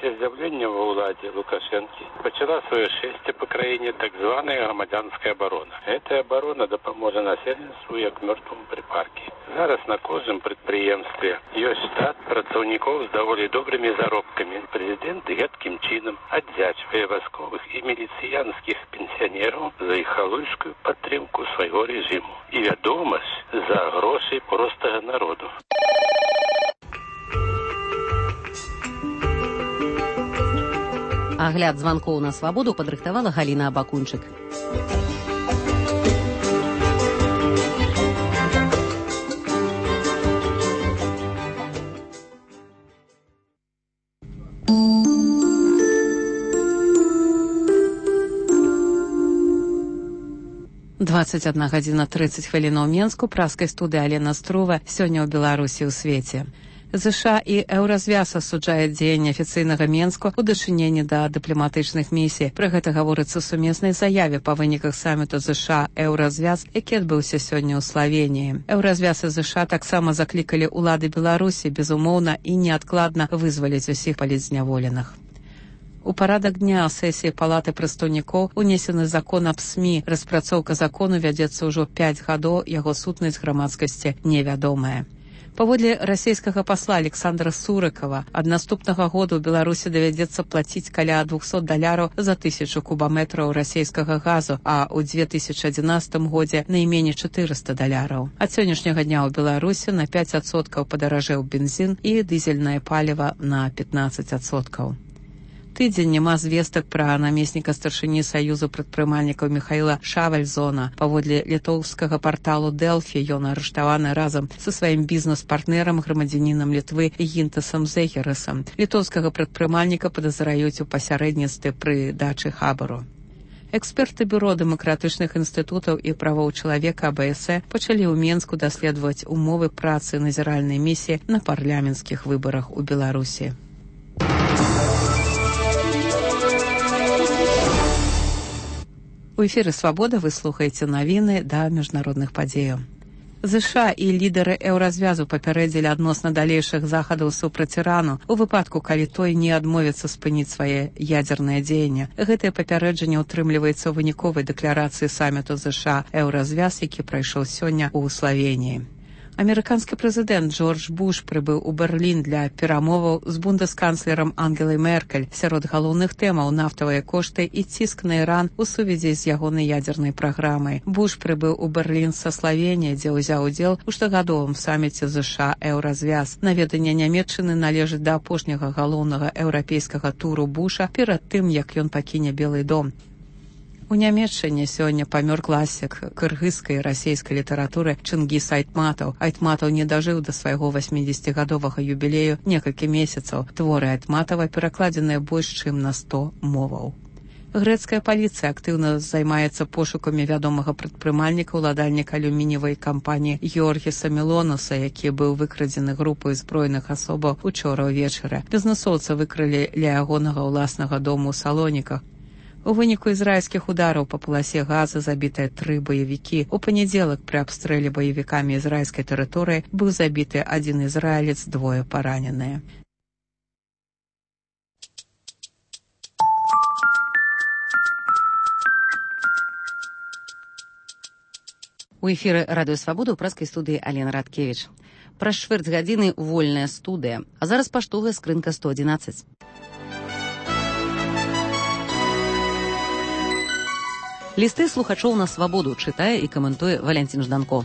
[SPEAKER 5] З'явлення в уладі Лукашенки почала своє шестя по країні так звана громадянська оборона. Ця оборона допоможе населенству як мертвому припарки. Зараз на кожному підприємстві є штат працівників з доволі добрими заробками. Президент гидким чином віддячує військових і міліціянських пенсіонерів за їх халуйську підтримку свого режиму. І відомість за гроші простого народу.
[SPEAKER 2] Агляд званкоў на свабоду падрыхтавала Галіна Абакунчык.
[SPEAKER 1] двадцать одна гадзіна тридцать хвілінаў Менску, праскай студыі Алена Струва, сёння ў Беларусі ў свеце. ЗША і Еўразвяз асуджаюць дзеянні афіцыйнага Менску ў дачыненні да дыпламатычных місій. Пра гэта гаворыцца ў сумеснай заяве па выніках саміту ЗША Еўразвяз, які адбыўся сёння ў Славеніі. Еўразвяз і ЗША таксама заклікалі ўлады Беларусі безумоўна і неадкладна вызваліць усіх палітзняволеных. У парадак дня сесіі палаты прадстаўнікоў унесены закон аб СМІ. Распрацоўка закону вядзецца ўжо пяць гадоў, яго сутнасць грамадскасці невядомая. Паводле расійскага пасла Александра Сурыкова, ад наступнага года ў Беларусі давядзецца плаціць каля двухсот даляраў за тысячу кубаметраў расійскага газу, а ў две тысячы адзінаццатым годзе найменей чатырыста даляраў. Ад сённяшняга дня ў Беларусі на пяць адсоткаў падаражэў бензін і дызельнае паліва на пятнаццаць адсоткаў. Тыдзень няма звестак пра намесніка старшыні Саюзу прадпрымальнікаў Михаіла Шавальзона. Паводле літоўскага парталу Дэлфі ён арыштаваны разам са сваім бізнес-партнерам, грамадзянінам Літвы Гінтасам Зехерасам. Літоўскага прадпрымальніка падазраюць у пасярэдніцтве пры дачы хабару. Эксперты бюро дэмакратычных інстытутаў і правоў чалавека АБС пачалі ў Менску даследаваць умовы працы назіральнай місіі на парламенцкіх выбарах у Беларусі. У эфіры «Свабода» вы слухаеце навіны да міжнародных падзеяў. ЗША і лідары Еўразвязу папярэдзілі адносна далейшых захадаў супраць Ірану у выпадку, калі той не адмовіцца спыніць свае ядзернае дзеянне. Гэтае папярэджанне ўтрымліваецца ў выніковай дэкларацыі саміту ЗША Еўразвяз, які прайшоў сёння ў Славеніі. Амерыканскі прэзідэнт Джордж Буш прыбыў у Берлін для перамоваў з бундэсканцлерам Ангелай Меркель. Сярод галоўных тэмаў нафтавыя кошты і ціск на Іран у сувязі з ягонай ядзернай праграмай. Буш прыбыў у Берлін са Славеніі, дзе ўзяў удзел у штогадовым саміце ЗША Еўразвяз. Наведанне Нямецчыны належыць да апошняга галоўнага еўрапейскага туру Буша перад тым, як ён пакіне Белы дом. У Нямецчыне сёння памёр класік кыргызскай і расійскай літаратуры Чынгіс Айтматаў. Айтматаў не дажыў да свайго васьмідзесяцігадовага юбілею некалькі месяцаў. Творы Айтматава перакладзеныя больш чым на сто моваў. Грэцкая паліцыя актыўна займаецца пошукамі вядомага прадпрымальніка, уладальніка алюмініевай кампаніі Георгіса Мелонаса, які быў выкрадзены групай зброеных асобаў учора ўвечары. Бізнэсоўца выкралі ля ягонага ўласнага дому ў Салоніках. У выніку ізраільскіх удараў па паласе газа забітыя тры баевікі. У панядзелак пры абстрэле баевікамі ізраільскай тэрыторыі быў забіты адзін ізраілец, двое параненыя.
[SPEAKER 2] У эфіры радыё Свабода ў праскай студыі Алена Радкевіч. Праз чвэрць гадзіны вольная студыя. А зараз паштовая скрынка сто адзінаццаць.
[SPEAKER 6] Лісты слухачоў на свабоду чытае і каментуе Валянцін Жданко.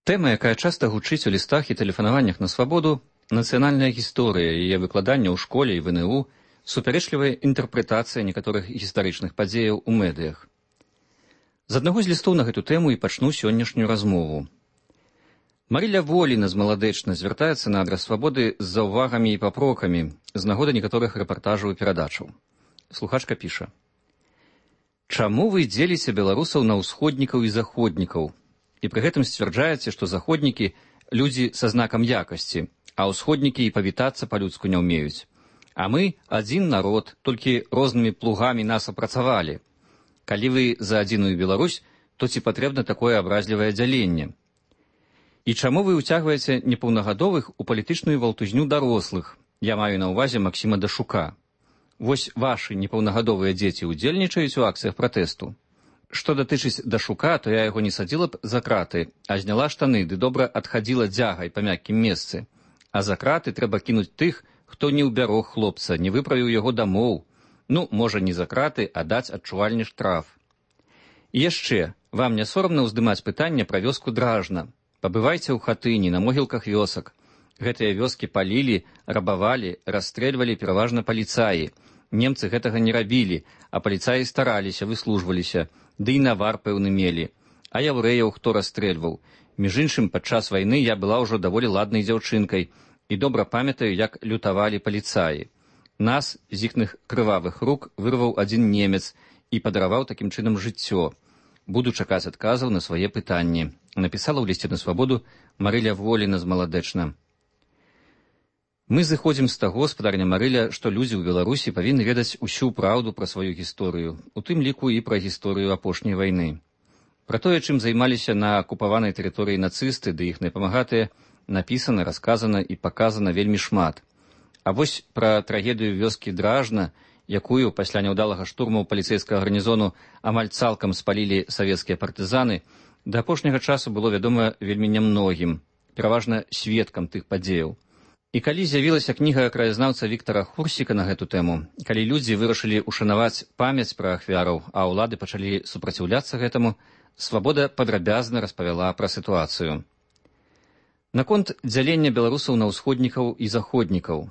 [SPEAKER 7] Тэма, якая часта гучыць у лістах і тэлефанаваннях на свабоду, нацыянальная гісторыя, яе выкладанне ў школе і в эн э у, супярэчлівая інтэрпрэтацыя некаторых гістарычных падзеяў у медыях. З аднаго з лістоў на гэту тэму і пачну сённяшнюю размову. Марыля Воліна з Маладэчна звяртаецца на адрас свабоды з заўвагамі і папрокамі з нагоды некаторых рэпартажаў і перадачаў. Слухачка піша: «Чаму вы дзеліце беларусаў на ўсходнікаў і заходнікаў? І пры гэтым сцвярджаеце, што заходнікі – людзі са знакам якасці, а ўсходнікі і павітацца па-людску не ўмеюць. А мы – адзін народ, толькі рознымі плугамі нас апрацавалі. Калі вы за адзіную Беларусь, то ці патрэбна такое абразлівае дзяленне? І чаму вы ўцягваеце непаўнагадовых у палітычную валтузню дарослых? Я маю на ўвазе Максіма Дашука. Вось вашы непаўнагадовыя дзеці ўдзельнічаюць у акцыях пратэсту. Што датычыць Дашука, то я яго не садзіла б за краты, а зняла штаны ды добра адхадзіла дзягай па мяккім месцы. А за краты трэба кінуць тых, хто не ўбярог хлопца, не выправіў яго дамоў. Ну, можа, не за краты, а даць адчувальны штраф. І яшчэ, вам не сорамна ўздымаць пытанне пра вёску Дражна. Пабывайце ў хатыні, на могілках вёсак. Гэтыя вёскі палілі, рабавалі, расстрэльвалі пераважна паліцаі. Немцы гэтага не рабілі, а паліцаі стараліся, выслужваліся. Ды і навар пэўны мелі. А яўрэяў хто расстрэльваў? Між іншым, падчас вайны я была ўжо даволі ладнай дзяўчынкай і добра памятаю, як лютавалі паліцаі. Нас з іхных крывавых рук вырваў адзін немец і падараваў такім чынам жыццё. Буду чакаць адказаў на свае пытанні. Напісала ў лісце на свабоду Марыля Воліна з Маладэчна. Мы зыходзім з таго, спадарня Марыля, што людзі ў Беларусі павінны ведаць усю праўду пра сваю гісторыю, у тым ліку і пра гісторыю апошняй вайны. Пра тое, чым займаліся на акупаванай тэрыторыі нацысты ды іх напамагатыя, напісана, расказана і паказана вельмі шмат. А вось пра трагедыю вёскі Дражна, якую пасля няўдалага штурму паліцэйскага гарнізону амаль цалкам спалілі савецкія партызаны, да апошняга часу было вядома вельмі нямногім, пераважна сведкам тых падзеяў. І калі з'явілася кніга краязнаўца Віктара Хурсіка на гэту тэму, калі людзі вырашылі ушанаваць памяць пра ахвяраў, а ўлады пачалі супраціўляцца гэтаму, свабода падрабязна распавяла пра сітуацыю. Наконт дзялення беларусаў на ўсходнікаў і заходнікаў.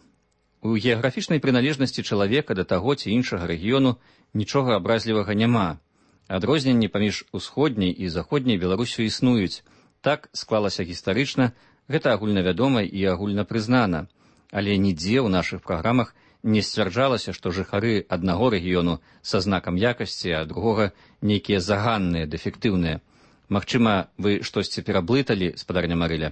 [SPEAKER 7] У геаграфічнай прыналежнасці чалавека да таго ці іншага рэгіёну нічога абразлівага няма. Адрозненні паміж усходняй і заходняй Беларусю існуюць. Так склалася гістарычна, гэта агульнавядома і агульнапрызнана, але нідзе ў нашых праграмах не сцвярджалася, што жыхары аднаго рэгіёну са знакам якасці, а другога нейкія заганныя, дэфектыўныя. Магчыма, вы штосьці пераблыталі, спадарня Марыля.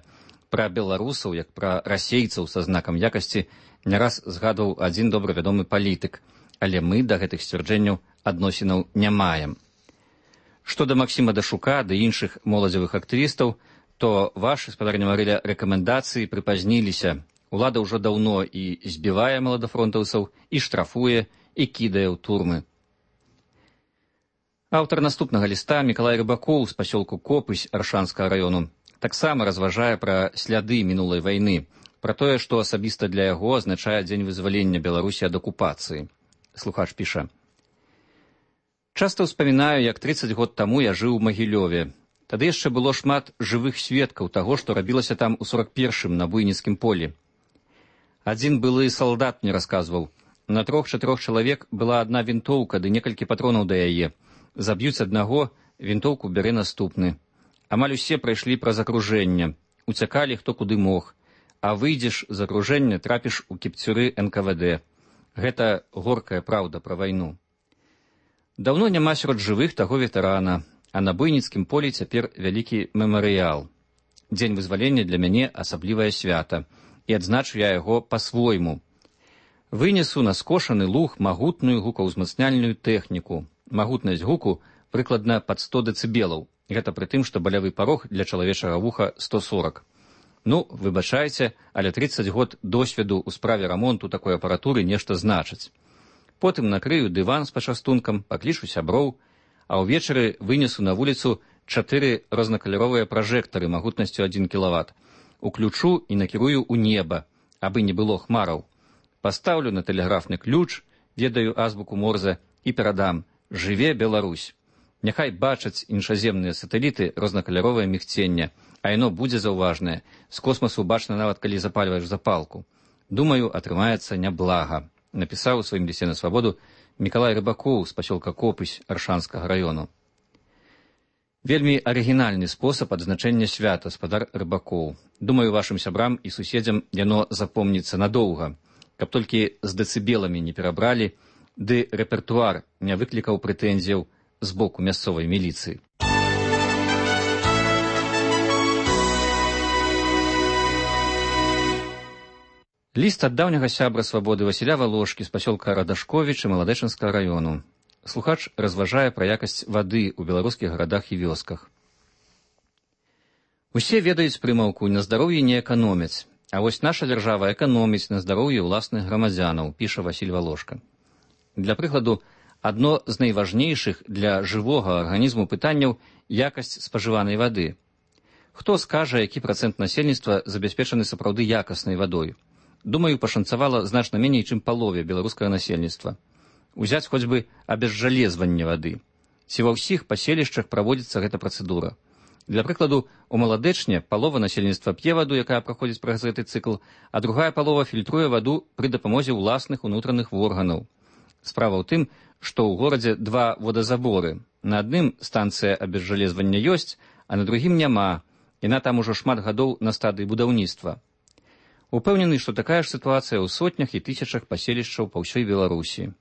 [SPEAKER 7] Пра беларусаў, як пра расейцаў са знакам якасці, не раз згадваў адзін добра вядомы палітык, але мы да гэтых сцвярджэнняў адносінаў не маем. Што да Максіма Дашука ды іншых моладзевых актывістаў, то вашы, спадарня Марыля, рэкамендацыі прыпазніліся. Улада ўжо даўно і збівае маладафронтаўцаў, і штрафуе, і кідае ў турмы. Аўтар наступнага ліста Мікалай Рыбакоў з пасёлку Копысь Аршанскага раёну таксама разважае пра сляды мінулай вайны, пра тое, што асабіста для яго азначае дзень вызвалення Беларусі ад акупацыі. Слухач піша: «Часта ўспамінаю, як трыццаць год таму я жыў у Магілёве. Тады яшчэ было шмат жывых сведкаў таго, што рабілася там у сорак першым на буйніцкім полі. Адзін былы салдат мне расказваў. На трох-чатырох чалавек была адна вінтоўка ды некалькі патронаў да яе. Заб'юць аднаго, вінтоўку бярэ наступны. Амаль усе прайшлі праз акружэнне. Уцякалі хто куды мог. А выйдзеш з акружэння, трапіш у кіпцюры эн ка вэ дэ. Гэта горкая праўда пра вайну. Даўно няма сярод жывых таго ветэрана. А на буйніцкім полі цяпер вялікі мемарыял. Дзень вызвалення для мяне асаблівае свята, і адзначу я яго па-свойму. Вынесу на скошаны луг магутную гукаўзмацняльную тэхніку. Магутнасць гуку прыкладна пад сто дэцыбелаў. Гэта пры тым, што балявы парог для чалавечага вуха сто сорак. Ну, выбачайце, але трыццаць год досведу ў справе рамонту такой апаратуры нешта значыць. Потым накрыю дыван з пачастункам, паклічу сяброў, а ўвечары вынесу на вуліцу чатыры рознакаляровыя пражэктары магутнасцю адзін кілават. Уключу і накірую ў неба, абы не было хмараў. Пастаўлю на тэлеграфны ключ, ведаю азбуку Морзе і перадам: «Жыве Беларусь!» Няхай бачаць іншаземныя сатэліты рознакаляровае мігценне, а яно будзе заўважнае. З космасу бачна нават, калі запальваеш запалку. Думаю, атрымаецца няблага. Напісаў у сваім лісце на свабоду Мікалай Рыбакоў з пасёлка Копысь Аршанскага раёну. Вельмі арыгінальны спосаб адзначэння свята, спадар Рыбакоў. Думаю, вашым сябрам і суседзям яно запомніцца надоўга, каб толькі з дэцыбеламі не перабралі, ды рэпертуар не выклікаў прэтэнзіяў з боку мясцовай міліцыі. Ліст ад даўняга сябра свабоды Васіля Валошкі з пасёлка Радашковіч і Маладэчынскага раёну. Слухач разважае пра якасць вады ў беларускіх гарадах і вёсках. Усе ведаюць прымаўку «на здароўі не эканомяць», а вось наша дзяржава эканоміць на здароўі ўласных грамадзянаў, піша Васіль Валошка. Для прыкладу, адно з найважнейшых для жывога арганізму пытанняў – якасць спажыванай вады. Хто скажа, які працэнт насельніцтва забяспечаны сапраўды якаснай вадой? Думаю, пашанцавала значна меней, чым палове беларускага насельніцтва. Узяць хоць бы абезжалезванне вады. Ці ва ўсіх паселішчах праводзіцца гэта працэдура. Для прыкладу, у Маладэчне палова насельніцтва п'е ваду, якая праходзіць праз гэты цыкл, а другая палова фільтруе ваду пры дапамозе ўласных унутраных органаў. Справа ў тым, што ў горадзе два водазаборы. На адным станцыя абезжалезвання ёсць, а на другім няма. Яна там ужо шмат гадоў на стадыі будаўніцтва. Упэўнены, што такая ж сітуацыя ў сотнях і тысячах паселішчаў па ўсёй Беларусі.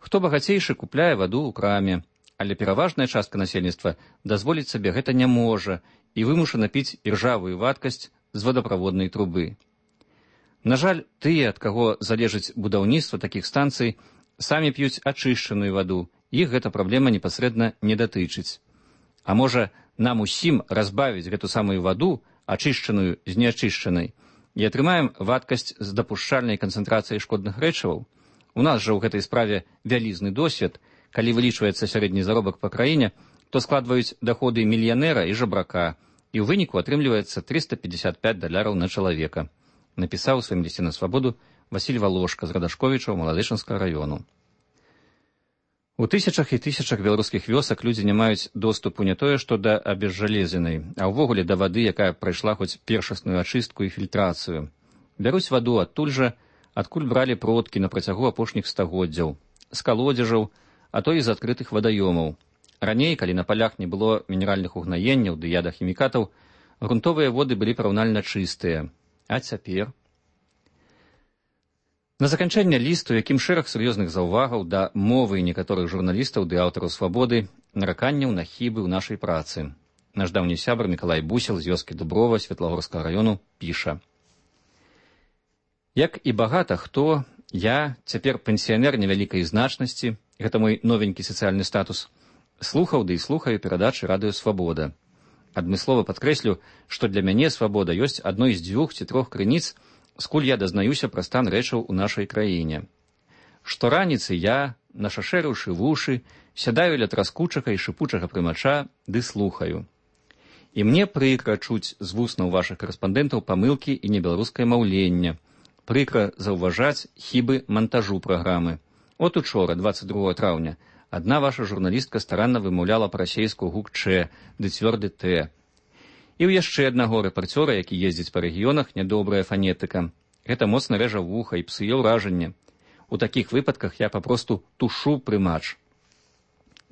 [SPEAKER 7] Хто багацейшы, купляе ваду ў краме, але пераважная частка насельніцтва дазволіць сабе гэта не можа і вымушана піць іржавую вадкасць з водаправоднай трубы. На жаль, тыя, ад каго залежыць будаўніцтва такіх станцый, самі п'юць ачышчаную ваду, іх гэта праблема непасрэдна не датычыць. А можа, нам усім разбавіць гэту самую ваду, ачышчаную з неачышчанай, і атрымаем вадкасць з дапушчальнай канцэнтрацыяй шкодных рэчываў? У нас жа ў гэтай справе вялізны досвед. Калі вылічваецца сярэдні заробак па краіне, то складваюць даходы мільянера і жабрака, і ў выніку атрымліваецца трыста пятьдесят пять даляраў на чалавека. Напісаў у сваім лісце на свабоду Васіль Валошка з Радашковічаў Маладэчынскага раёну. У тысячах і тысячах беларускіх вёсак людзі не маюць доступу не тое, што да абезжалезенай, а ўвогуле да вады, якая прайшла хоць першасную ачыстку і фільтрацыю. Бяруць ваду адтуль жа, адкуль бралі продкі на працягу апошніх стагоддзяў, з калодзежаў, а то і з адкрытых вадаёмаў. Раней, калі на палях не было мінеральных угнаенняў ды ядахімікатаў, грунтовыя воды былі параўнальна чыстыя. А цяпер? На заканчэнне лісту, якім шэраг сур'ёзных заўвагаў да мовы некаторых журналістаў ды аўтараў свабоды, нараканняў на хібы ў нашай працы. Наш даўні сябар Мікалай Бусел з вёскі Дуброва Светлагорскага раёну піша: «Як і багата хто, я, цяпер пенсіянер невялікай значнасці, гэта мой новенькі сацыяльны статус, слухаў ды і слухаю перадачы радыё «Свабода». Адмыслова падкрэслю, што для мяне «Свабода» ёсць адной з дзвюх ці трох крыніц, скуль я дазнаюся пра стан рэчаў у нашай краіне. Штораніцы я, нашашэрыўшы вушы, сядаю ля траскучага і шыпучага прымача ды слухаю. І мне прыкра чуць з вуснаў вашых карэспандэнтаў памылкі і небеларускае маўленне, прыкра заўважаць хібы мантажу праграмы. От учора, двадцать другого траўня, адна ваша журналістка старанна вымаўляла па-расейску гук «Ч» ды цвёрды «Т». І ў яшчэ аднаго рэпарцёра, які ездзіць па рэгіёнах, нядобрая фанетыка. Гэта моцна рэжа вуха і псуе ўражанне. У такіх выпадках я папросту тушу прымач.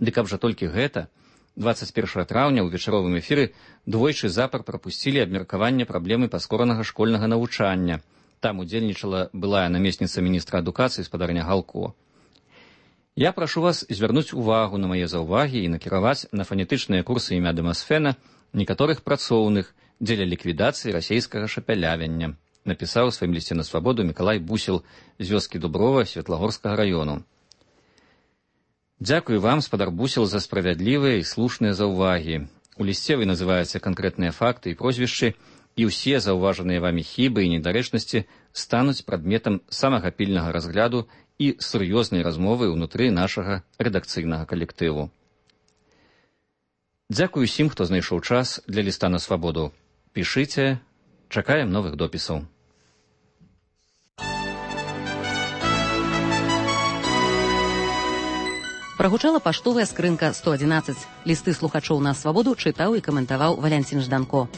[SPEAKER 7] Ды каб жа толькі гэта, двадцать першага траўня ў вечаровым эфіры двойчы запар прапусцілі абмеркаванне праблемы паскоранага школьнага навучання. Там удзельнічала былая намесніца міністра адукацыі спадарня Галко. Я прашу вас звярнуць увагу на мае заўвагі і накіраваць на фанетычныя курсы імя Дэмасфена некаторых працоўных дзеля ліквідацыі расейскага шапялявання, напісаў у сваім лісце на свабоду Мікалай Бусел з вёскі Дуброва Светлагорскага раёну. Дзякую вам, спадар Бусел, за справядлівыя і слушныя заўвагі. У лісце вы называеце канкрэтныя факты і прозвішчы, і ўсе заўважаныя вамі хібы і недарэчнасці стануць прадметам самага пільнага разгляду і сур'ёзнай размовы ўнутры нашага рэдакцыйнага калектыву. Дзякую усім, хто знайшоў час для ліста на свабоду. Пішыце, чакаем новых допісаў.
[SPEAKER 6] Прагучала паштовая скрынка сто адзінаццаць. Лісты слухачоў на свабоду чытаў і каментаваў Валянцін Жданко.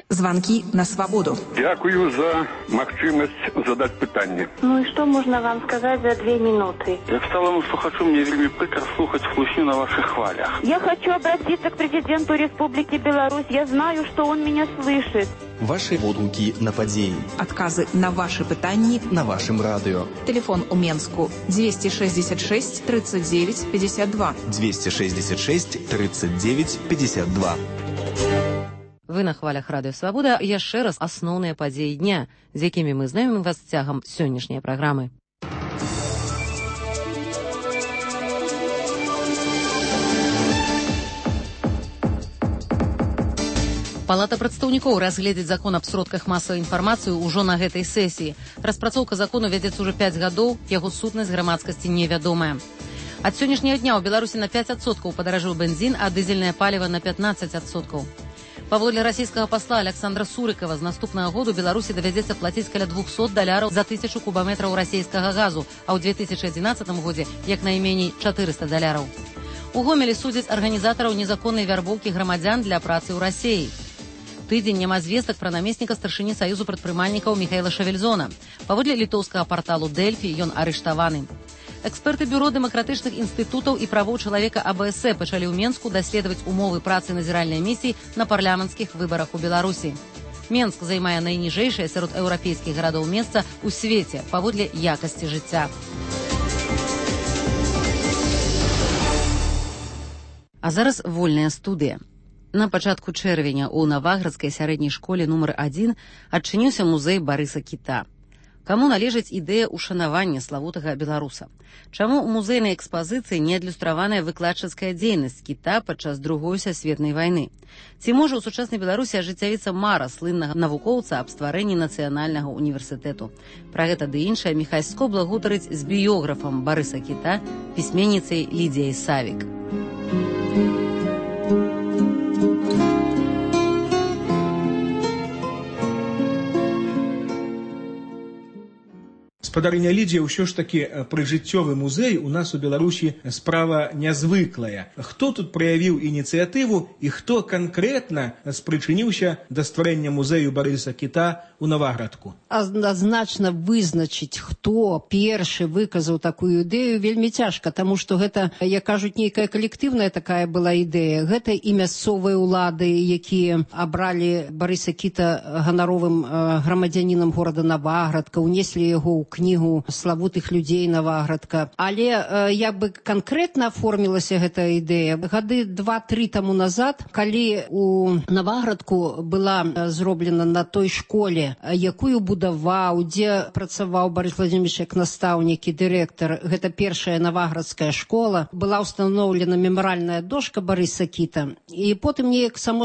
[SPEAKER 8] Звонки на свободу.
[SPEAKER 9] Дякую за магчымасць задать пытанне.
[SPEAKER 25] Ну и что можно вам сказать за две минуты?
[SPEAKER 9] Як сталому слухачу, мне вельмі прикро слухать хлусню на ваших хвалях.
[SPEAKER 25] Я хочу обратиться к президенту Республики Беларусь. Я знаю, что он меня слышит.
[SPEAKER 11] Ваши водгуки на падзеі.
[SPEAKER 8] Отказы на ваши пытанні
[SPEAKER 11] на вашем радио.
[SPEAKER 8] Телефон у Менску двести шестьдесят шесть тридцать девять пятьдесят два.
[SPEAKER 11] двести шестьдесят шесть тридцать девять пятьдесят два.
[SPEAKER 6] Вы на хвалях Радыё Свабода. Яшчэ раз асноўныя падзеі дня, з якімі мы знаёмім вас цягам сённяшняй праграмы. Палата прадстаўнікоў разгледзіць закон аб сродках масавай інфармацыі ўжо на гэтай сесіі. Распрацоўка закону вядзецца ўжо пяць гадоў, яго сутнасць грамадскасці невядомая. Ад сённяшняга дня ў Беларусі на пяць адсоткаў падаражэў бензін, а дызельнае паліва на пятнаццаць адсоткаў. Паводле расійскага пасла Александра Сурыкова, з наступнага году Беларусі давядзецца плаціць каля двухсот даляраў за тысячу кубаметраў расійскага газу, а ў две тысячы адзінаццатым годзе як найменей чатырыста даляраў. У Гомелі судзяць арганізатараў незаконнай вярбоўкі грамадзян для працы ў Расіі. Тыдзень няма звестак пра намесніка старшыні Саюзу прадпрымальнікаў Міхаіла Шавельзона. Паводле літоўскага парталу Дэльфі ён арыштаваны. Эксперты бюро дэмакратычных інстытутаў і правоў чалавека А Б С пачалі ў Менску даследаваць умовы працы назіральнай місіі на парламенцкіх выбарах у Беларусі. Менск займае найніжэйшае сярод еўрапейскіх гарадоў месца ў свеце паводле якасці жыцця. А зараз вольная студыя. На пачатку чэрвеня ў Наваградскай сярэдняй школе нумар адзін адчыніўся музей Барыса Кіта. Каму належыць ідэя ушанавання славутага беларуса? Чаму ў музейнай экспазіцыі не адлюстраваная выкладчыцкая дзейнасць Кіта падчас другой сусветнай вайны? Ці можа ў сучаснай Беларусі ажыццявіцца мара слыннага навукоўца аб стварэнні нацыянальнага універсітэту? Пра гэта ды іншае Міхай Скобла гутарыць з біёграфам Барыса Кіта, пісьменніцай Лідзіяй Савік.
[SPEAKER 4] Спадарыня Лідзія, ўсё ж такі прыжыццёвы музей у нас у Беларусі справа нязвыклая. Хто тут праявіў ініцыятыву і хто канкрэтна спрычыніўся да стварэння музею Барыса Кіта у Наваградку?
[SPEAKER 23] Адназначна вызначыць, хто першы выказаў такую ідэю, вельмі цяжка, таму што гэта, як кажуць, нейкая калектыўная такая была ідэя. Гэта і мясцовыя ўлады, якія абралі Барыса Кіта ганаровым грамадзянінам горада Наваградка, унеслі яго ў кнігу славутых людзей Наваградка. Але як бы канкрэтна аформілася гэта ідэя гады два-тры таму назад, калі у Наваградку была зроблена на той школе, якую будаваў, дзе працаваў Барыс Владимирович як настаўнік і дырэктар. Гэта першая наваградская школа. Была ўстаноўлена мемарыяльная дошка Барыса Кіта. І потым неяк само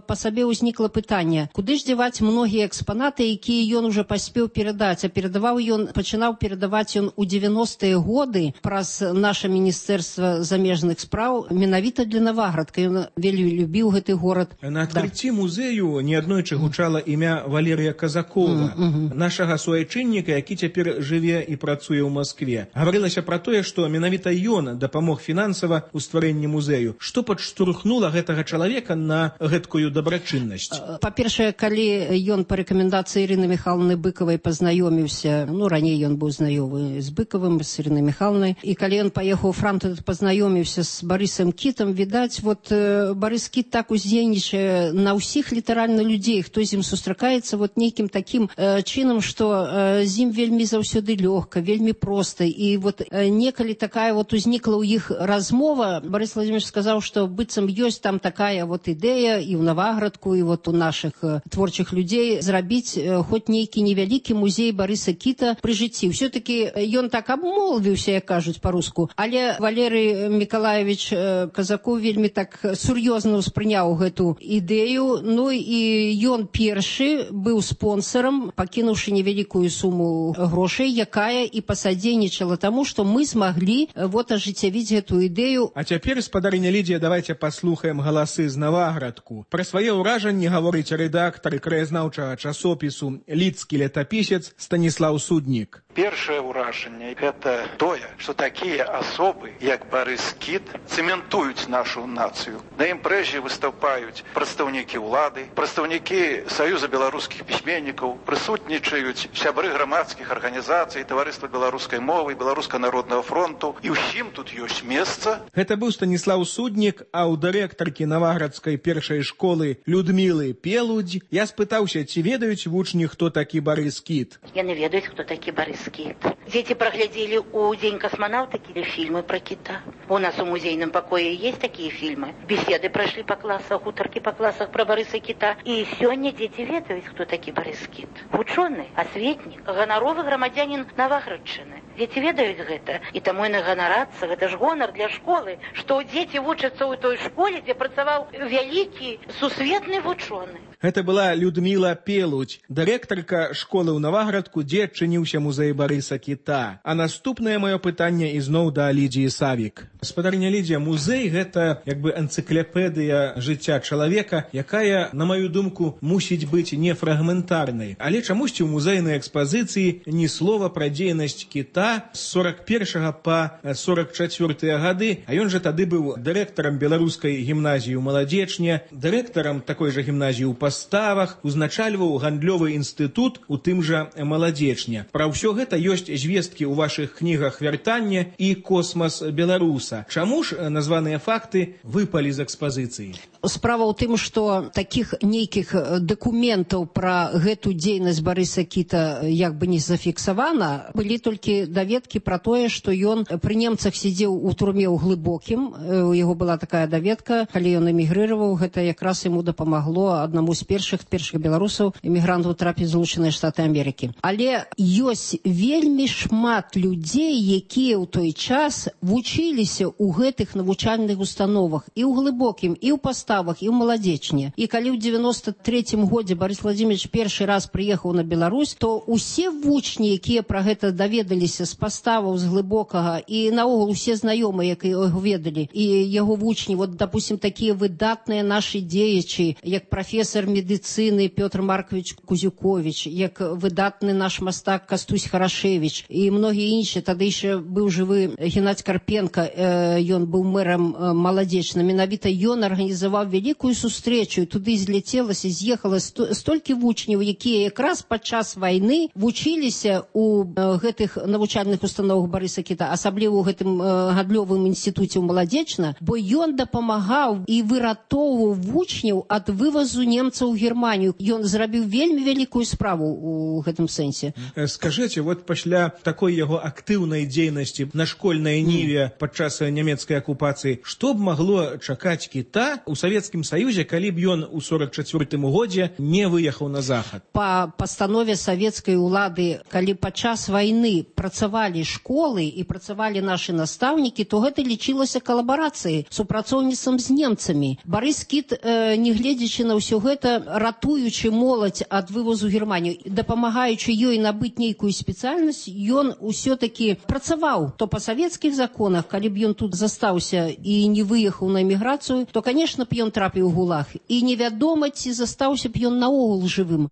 [SPEAKER 23] па сабе ўзнікла пытанне, куды ж дзяваць многія экспанаты, якія ён уже паспеў перадаць, а перадаваў ён пачынаў перадаваць ён у дзевяностыя годы праз наша міністэрства замежных спраў менавіта для Наваградка. Ён вельмі любіў гэты горад.
[SPEAKER 4] На адкрыцці да. музею неаднойчы гучала імя Валерыя Казакова, mm -hmm. нашага суайчынніка, які цяпер жыве і працуе ў Маскве. Гаварылася пра тое, што менавіта ён дапамог фінансава ў стварэнні музею. Што падштурхнула гэтага чалавека на гэткую дабрачыннасць?
[SPEAKER 23] Па-першае, калі ён па рэкамендацыі Ірыны Михайловны Быкавай пазнаёміўся, ну, раней ён быў знаёмы з Быкавым, з Ірынай Михайловнай, і калі ён паехаў у Франкфурт, пазнаёміўся з Барысам Кітам, відаць, вот Барыс Кіт так уздзейнічае на ўсіх літаральна людзей, хто з ім сустракаецца вот нейкім такім э, чынам, што э, з ім вельмі заўсёды лёгка, вельмі проста. І вот э, некалі такая вот узнікла ў іх размова, Барыс Владимирович сказаў, што быццам ёсць там такая вот ідэя і ў Наваградку, і вот у нашых э, творчых людзей зрабіць э, хоць нейкі невялікі музей Барыса Кіта, пры жыцці. Все-таки ён так абмолвіўся, як кажуць па-руску, але Валерый Миколаевич Казаков вельмі так сур'ёзна ўспрыняў гэту ідэю, ну і ён першы быў спонсорам, пакінуўшы невялікую суму грошай, якая і пасадзейнічала таму, што мы змаглі вот ажыццявіць гэту ідэю.
[SPEAKER 4] А цяпер, спадарыня Лідія, давайте паслухаем галасы з Наваградку. Пра свае ўражанні гаворыць рэдактар і краязнаўчага часопісу «Лідскі летапісец» Станіслаў Суднік.
[SPEAKER 10] Першае ўражанне – гэта тое, што такія асобы, як Барыс Кіт, цэментуюць нашу нацыю. На імпрэзе выступаюць прадстаўнікі ўлады, прадстаўнікі Саюза беларускіх пісьменнікаў, прысутнічаюць сябры грамадскіх арганізацый, таварыства беларускай мовы, беларуска-народнага фронту, і ўсім тут ёсць месца.
[SPEAKER 4] Гэта быў Станіслаў Суднік, а ў дырэктаркі Наваградскай першай школы Людмілы Пелудзь я спытаўся, ці ведаюць вучні, хто такі Барыс Кіт.
[SPEAKER 12] Яны ведаюць, хто такі Барыс Кіт. Дети проглядели у День космонавта фильмы про кита. У нас в музейном покое есть такие фильмы. Беседы прошли по классах, уторки по классах про Барыса Кита. И сегодня дети ведают, кто такие Барыс Кіт. Ученый, осветник, гоноровый громадянин Наваградчыны. Дети ведают гэта. И тому и наганарацца, это ж гонор для школы, что дети вучатся ў той школе, где працаваў вялікі сусветны вучоны.
[SPEAKER 4] Гэта была Людміла Пелудзь, дырэктарка школы ў Наваградку, дзе адчыніўся музей Барыса Кіта. А наступнае маё пытанне ізноў да Лідзіі Савік. Спадарня Лідзія, музей – гэта як бы энцыклапедыя жыцця чалавека, якая, на маю думку, мусіць быць не фрагментарнай. Але чамусьці ў музейнай экспазіцыі ні слова пра дзейнасць кіта з сорак першага па сорак чацвёртыя гады, а ён жа тады быў дырэктарам беларускай гімназіі ў Маладзечне, дырэктарам такой жа гімназіі ў Паставах, узначальваў гандлёвы інстытут у тым жа Маладзечне. Пра ўсё гэта ёсць звесткі ў вашых кнігах «Вяртанне» і «Космас беларуса». Чаму ж названыя факты выпалі з экспазіцыі?
[SPEAKER 23] Справа ў тым, што такіх нейкіх дакументаў пра гэту дзейнасць Барыса Кіта як бы не зафіксавана. Былі толькі даведкі пра тое, што ён пры немцах сидзеў у турме ў Глыбокім. У яго была такая даведка, калі ён эмігрыраваў, гэта якраз яму дапамагло аднаму з першых першых беларусаў эмігрантаў трапіць в Злучаныя Штаты Амерыкі. Але ёсць вельмі шмат людзей, якія ў той час вучыліся ў гэтых навучальных установах і ў Глыбокім, і ў Паставах, і ў Маладзечне. І калі ў девяносто третьем годзе Барыс Владимирович першы раз прыехаў на Беларусь, то усе вучні, якія пра гэта даведаліся з Паставаў, з Глыбокага, і наогул усе знаёмыя, якія яго ведалі, і яго вучні, вот, допустим, такія выдатныя нашы дзеячы, як прафесор медыцыны Пётр Маркович Кузюкович, як выдатны наш мастак Кастусь Харашевич і многія іншыя. Тады яшчэ быў жывы Геннадзь Карпенко, э, ён быў мэрам э, Маладзечна. Менавіта ён арганізаваў вялікую сустрэчу, і туды зляцелася, з'ехала сто, столькі вучняў, якія якраз падчас вайны вучыліся ў э, гэтых навучальных установах Барыса Кіта, асабліва ў гэтым э, гандлёвым інстытуце ў Маладзечна, бо ён дапамагаў і выратоўваў вучняў ад вывазу немцаў у Германію. Ён зрабіў вельмі вялікую справу у гэтым сэнсе.
[SPEAKER 4] Скажыце, вот пасля такой яго актыўнай дзейнасці на школьнай ніве падчас нямецкай акупацыі, што б магло чакаць кіта ў Савецкім Саюзе, калі б ён у сорак чацвёртым годзе не выехаў на захад?
[SPEAKER 23] Па пастанове савецкай улады, калі падчас вайны працавалі школы і працавалі нашы настаўнікі, то гэта лічылася калабарацыяй, супрацоўніцтвам з немцамі. Барыс Кіт, э, не гледзячы на ўсё гэта, ратуючы моладзь ад вывозу Германію, дапамагаючы ёй набыць нейкую спецыяльнасць, ён усё-такі працаваў. То па савецкіх законах, калі б ён тут застаўся і не выехаў на эміграцыю, то, конечно б ён трапіў у гулаг. І невядома, ці застаўся б ён наогул жывым.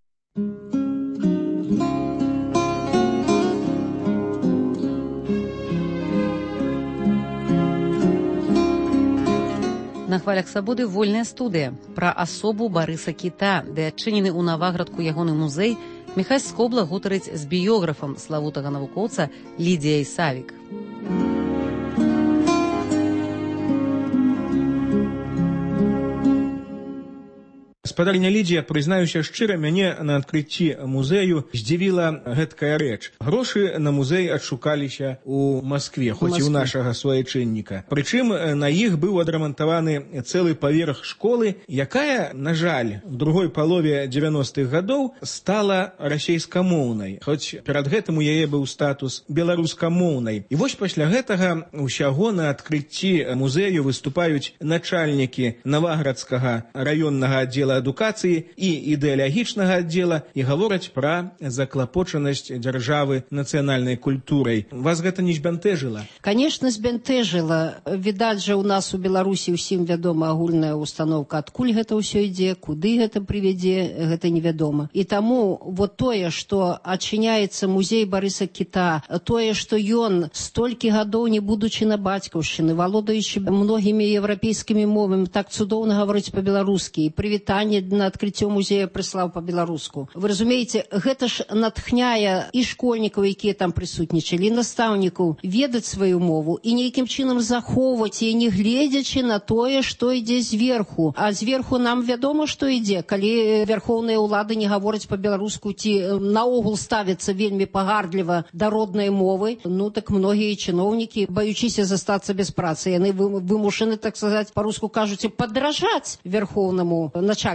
[SPEAKER 6] На хвалях свабоды вольная студыя пра асобу Барыса Кіта, де адчынены ў Наваградку ягоны музей. Міхась Скобла гутарыць з біёграфам славутага навукоўца Лідзіяй Савік.
[SPEAKER 4] Спадарня Лідія, прызнаюся шчыра, мяне на адкрыцці музею здзівіла гэткая рэч. Грошы на музей адшукаліся ў Маскве, хоць і ў нашага суайчынніка. Прычым на іх быў адрамантаваны цэлы паверх школы, якая, на жаль, в другой палове дзевяностых гадоў стала расейскамоўнай, хоць перад гэтым у яе быў статус беларускамоўнай. І вось пасля гэтага ўсяго на адкрыцці музею выступаюць начальнікі Наваградскага раённага аддзела адукацыі і ідэалагічнага аддзела і гавораць пра заклапочанасць дзяржавы нацыянальнай культурай. Вас гэта не збянтэжыла?
[SPEAKER 23] Конечно, збянтэжыла. Відаць жа, у нас у Беларусі ўсім вядома агульная установка, адкуль гэта ўсё ідзе, куды гэта прывядзе, гэта невядома. І таму вот тое, што адчыняецца музей Барыса Кіта, тое, што ён столькі гадоў, не будучы на бацькаўшчыны, валодаючы многімі еўрапейскімі мовамі, так цудоўна гаворыць па-беларускі, і прывітанне на адкрыццё музея прыслаў па-беларуску. Вы разумееце, гэта ж натхняе і школьнікаў, якія там прысутнічалі, і настаўнікаў ведаць сваю мову і нейкім чынам захоўваць яе, не гледзячы на тое, што ідзе зверху. А зверху нам вядома, што ідзе, калі вярхоўныя ўлады не гавораць па-беларуску ці наогул ставяцца вельмі пагардліва да роднай мовы, ну так многія чыноўнікі, баючыся застацца без працы, яны вымушаны, так сказаць, па-руску кажуць, падражаць верхоўнаму начальству.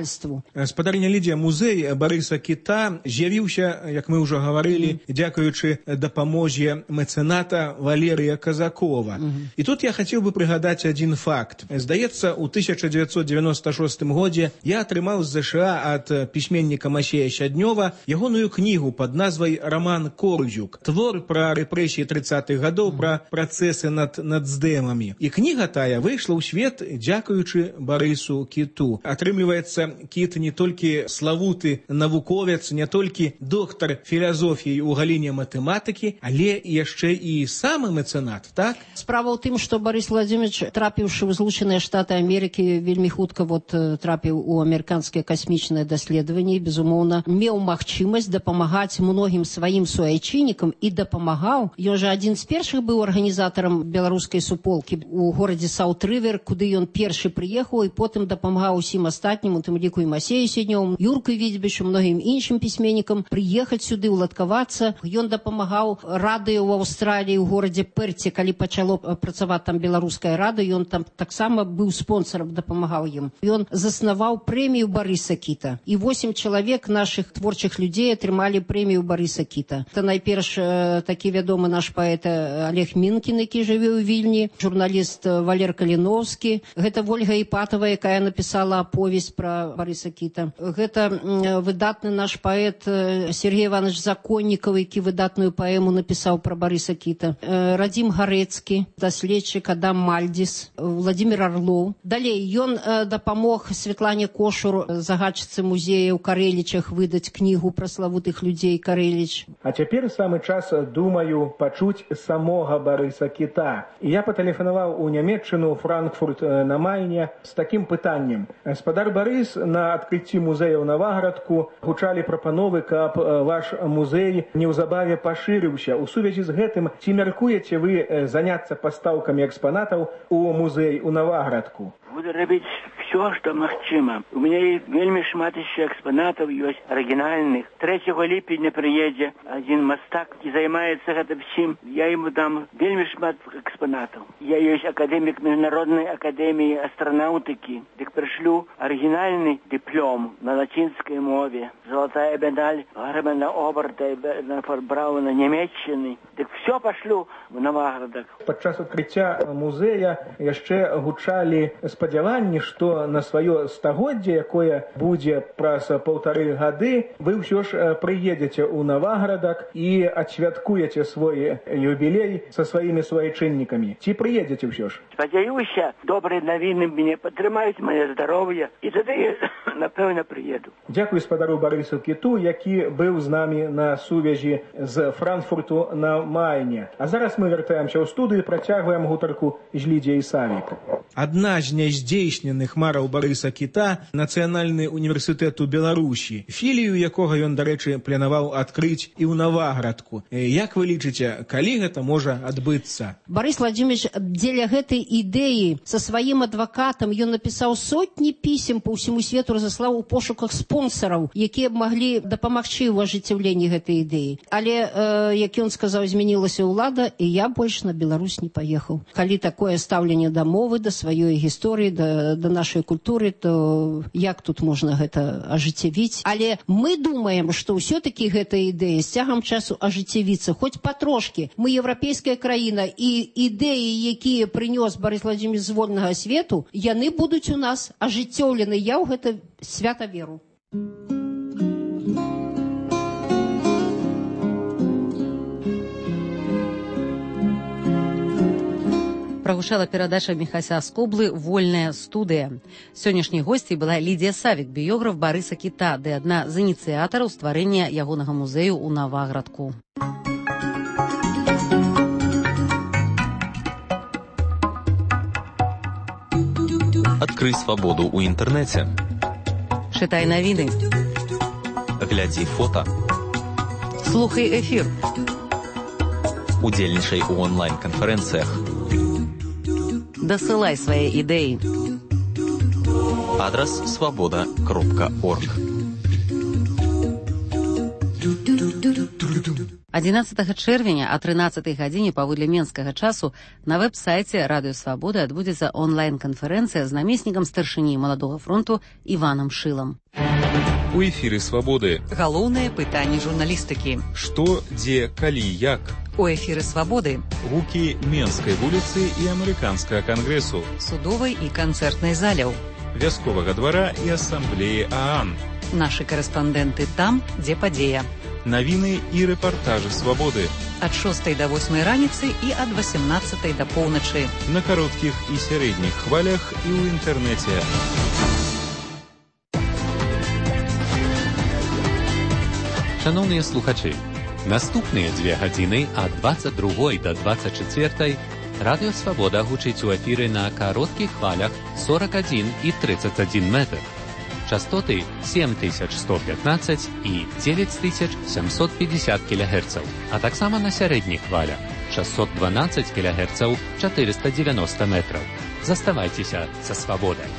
[SPEAKER 4] Спадарня Лідія, музей Барыса Кіта з'явіўся, як мы ўжо гаварылі, дзякуючы дапамозе мэцэната Валерыя Казакова. І тут я хацеў бы прыгадаць адзін факт. Здаецца, у тысяча дзевяцьсот дзевяноста шостым годзе я атрымаў з ЗША ад пісьменніка Масея Щаднёва ягоную кнігу пад назвай «Роман Корзюк». Твор пра рэпрэсіі трыццатых гадоў, пра працэсы над нацдэмамі. І кніга тая выйшла ў свет дзякуючы Барысу Кіту. Атрымліваецца, Кіт не толькі славуты навуковец, не толькі доктар філазофіі ў галіне матэматыкі, але яшчэ і самы мэцэнат, так?
[SPEAKER 23] Справа ў тым, што Барыс Владимирович, трапіўшы ў Злучаныя Штаты Амерыкі, вельмі хутка вот трапіў у амерыканскае касмічнае даследаванне, безумоўна, меў магчымасць дапамагаць многім сваім суайчыннікам і дапамагаў. Ён жа адзін з першых быў арганізатарам беларускай суполкі у горадзе Саут-Рывер, куды ён першы прыехаў і потым дапамагаў усім астатнім, у тым ліку і Масею Сіднёву, Юрку Відзьбічу, многім іншым пісьменнікам прыехаць сюды, уладкавацца. Ён дапамагаў радыё ў Аўстраліі, у горадзе Перце, калі пачало працаваць там беларуская радыё, ён там таксама быў спонсорам, дапамагаў ім. Ён заснаваў прэмію Барыса Кіта. І восем чалавек нашых творчых людзей атрымалі прэмію Барыса Кіта. Это найперш такі вядомы наш паэт Олег Мінкін, які жыве ў Вільні, журналіст Валер Каліновскі, гэта Вольга Іпатова, якая напісала аповесць пра Барыса Кіта. Гэта выдатны наш паэт Сергей Иванович Законнікаў, які выдатную паэму напісаў пра Барыса Кіта. Радзім Гарэцкі, даследчык Адам Мальдзіс, Владимир Орлоў. Далей, ён дапамог Светлане Кошур, загадчыцы музея ў Карэлічах, выдаць кнігу пра славутых людзей Карэліч.
[SPEAKER 4] А цяпер самы час, думаю, пачуць самога Барыса Кіта. І я патэлефанаваў у Нямецчыну, Франкфурт на Майне, з такім пытаннем. Спадар Барыс, на адкрыцці музея ў Наваградку гучалі прапановы, каб ваш музей неўзабаве пашырыўся. У сувязі з гэтым, ці мяркуеце вы заняцца пастаўкамі экспанатаў у музей у Наваградку?
[SPEAKER 13] Буду робіць все, что магчыма. У мяне вельмі шмат яшчэ экспанатаў ёсць арыгінальных. трэцяга ліпеня прыедзе адзін мастак і займаецца гэтым всім. Я яму дам вельмі шмат экспанатаў. Я ёсць акадэмік міжнароднай акадэміі астранаўтыкі. Дык прышлю арыгінальны дыплом на лацінскай мове. Золотая медаль Германа Оберта і фон Брауна Нямецчыны. Дык все пашлю в Наваградак.
[SPEAKER 4] Падчас адкрыцця музея яшчэ гучалі спадзяванні, што на сваё стагоддзе, якое будзе праз паўтары гады, вы ўсё ж прыедзеце ў Наваградак і адсвяткуеце свой юбілей са сваімі суайчыннікамі. Ці прыедзеце ўсё ж?
[SPEAKER 13] Спадзяюся, добрыя навіны мяне падтрымаюць мае здароўе, і тады, напэўна, прыеду.
[SPEAKER 4] Дзякуй спадару Барысу Кіту, які быў з намі на сувязі з Франкфурту на Майне. А зараз мы вяртаемся ў студыю і працягваем гутарку з Лідіяй Савік. адна з няздзейсненых мараў Барыса Кіта — Нацыянальны універсітэт у Беларусі, філію якога ён, дарэчы, планаваў адкрыць і ў Наваградку. Як вы лічыце, калі гэта можа адбыцца?
[SPEAKER 23] Борис Владимирович дзеля гэтай ідэі са сваім адвакатам ён напісаў сотні пісем по ўсяму свету, разаслаў у пошуках спонсараў, якія б маглі дапамагчы ў ажыццяўленні гэтай ідэі. Але, э, як ён сказаў, змянілася ўлада, і я больш на Беларусь не паехаў. Калі такое стаўленне да мовы, да сваёй гісторыі, да, да нашай культуры, то як тут можна гэта ажыццявіць? Але мы думаем, што ўсё-такі гэта ідэя з цягам часу ажыццявіцца, хоць патрошкі. Мы еўрапейская краіна, і ідэі, якія прынёс Борис Владимирович з вольнага свету, яны будуць у нас ажыццёўлены. Я ў гэта свята веру.
[SPEAKER 6] Прагучала перадача Міхася Аскоблы «Вольная студыя». Сённяшняй госцей была Лідія Савік, біёграф Барыса Кіта, ды адна з ініцыятараў стварэння ягонага музею ў Наваградку.
[SPEAKER 11] Адкрый свабоду ў інтэрнэце.
[SPEAKER 6] Чытай навіны.
[SPEAKER 11] Глядзі фота.
[SPEAKER 6] Слухай эфір.
[SPEAKER 11] Удзельнічай у онлайн-канферэнцыях.
[SPEAKER 6] Дасылай свае ідэі.
[SPEAKER 11] Адрас свабода кропка орг.
[SPEAKER 6] адзінаццатага чэрвеня о трынаццатай гадзіне паводле менскага часу на вэб-сайце Радыё Свабода адбудзецца онлайн-канферэнцыя з намеснікам старшыні Маладога фронту Іванам Шылам.
[SPEAKER 14] У эфіры Свабоды.
[SPEAKER 6] Галоўнае пытанне журналістыкі.
[SPEAKER 14] Што, дзе, калі, як?
[SPEAKER 6] У эфіры Свабоды.
[SPEAKER 14] Гукі Менскай вуліцы і Амерыканскага кангрэсу.
[SPEAKER 6] Судовай і канцэртнай заляў.
[SPEAKER 14] Вясковага двара і асамблеі ААН.
[SPEAKER 6] Нашы карэспандэнты там, дзе падзея.
[SPEAKER 14] Навіны і рэпартажы Свабоды.
[SPEAKER 6] Ад шостай да восьмай раніцы і ад васемнаццатай да поўначы.
[SPEAKER 14] На кароткіх і сярэдніх хвалях і ў інтэрнэце.
[SPEAKER 15] Шановныя слухачы, наступныя дзве гадзіны ад дваццаць другой да дваццаць чацвёртай Радыё Свабода гучыць у эфіры на кароткіх хвалях сорок адзін і тридцать адзін метр. Частоты сем тысяч сто пятнадцать і девять тысяч семьсот пятьдесят кілогерцаў, а таксама на сярэдніх хвалях шестьсот двенадцать кілогерцаў, четыреста девяносто метров. Заставайцеся са Свабодай.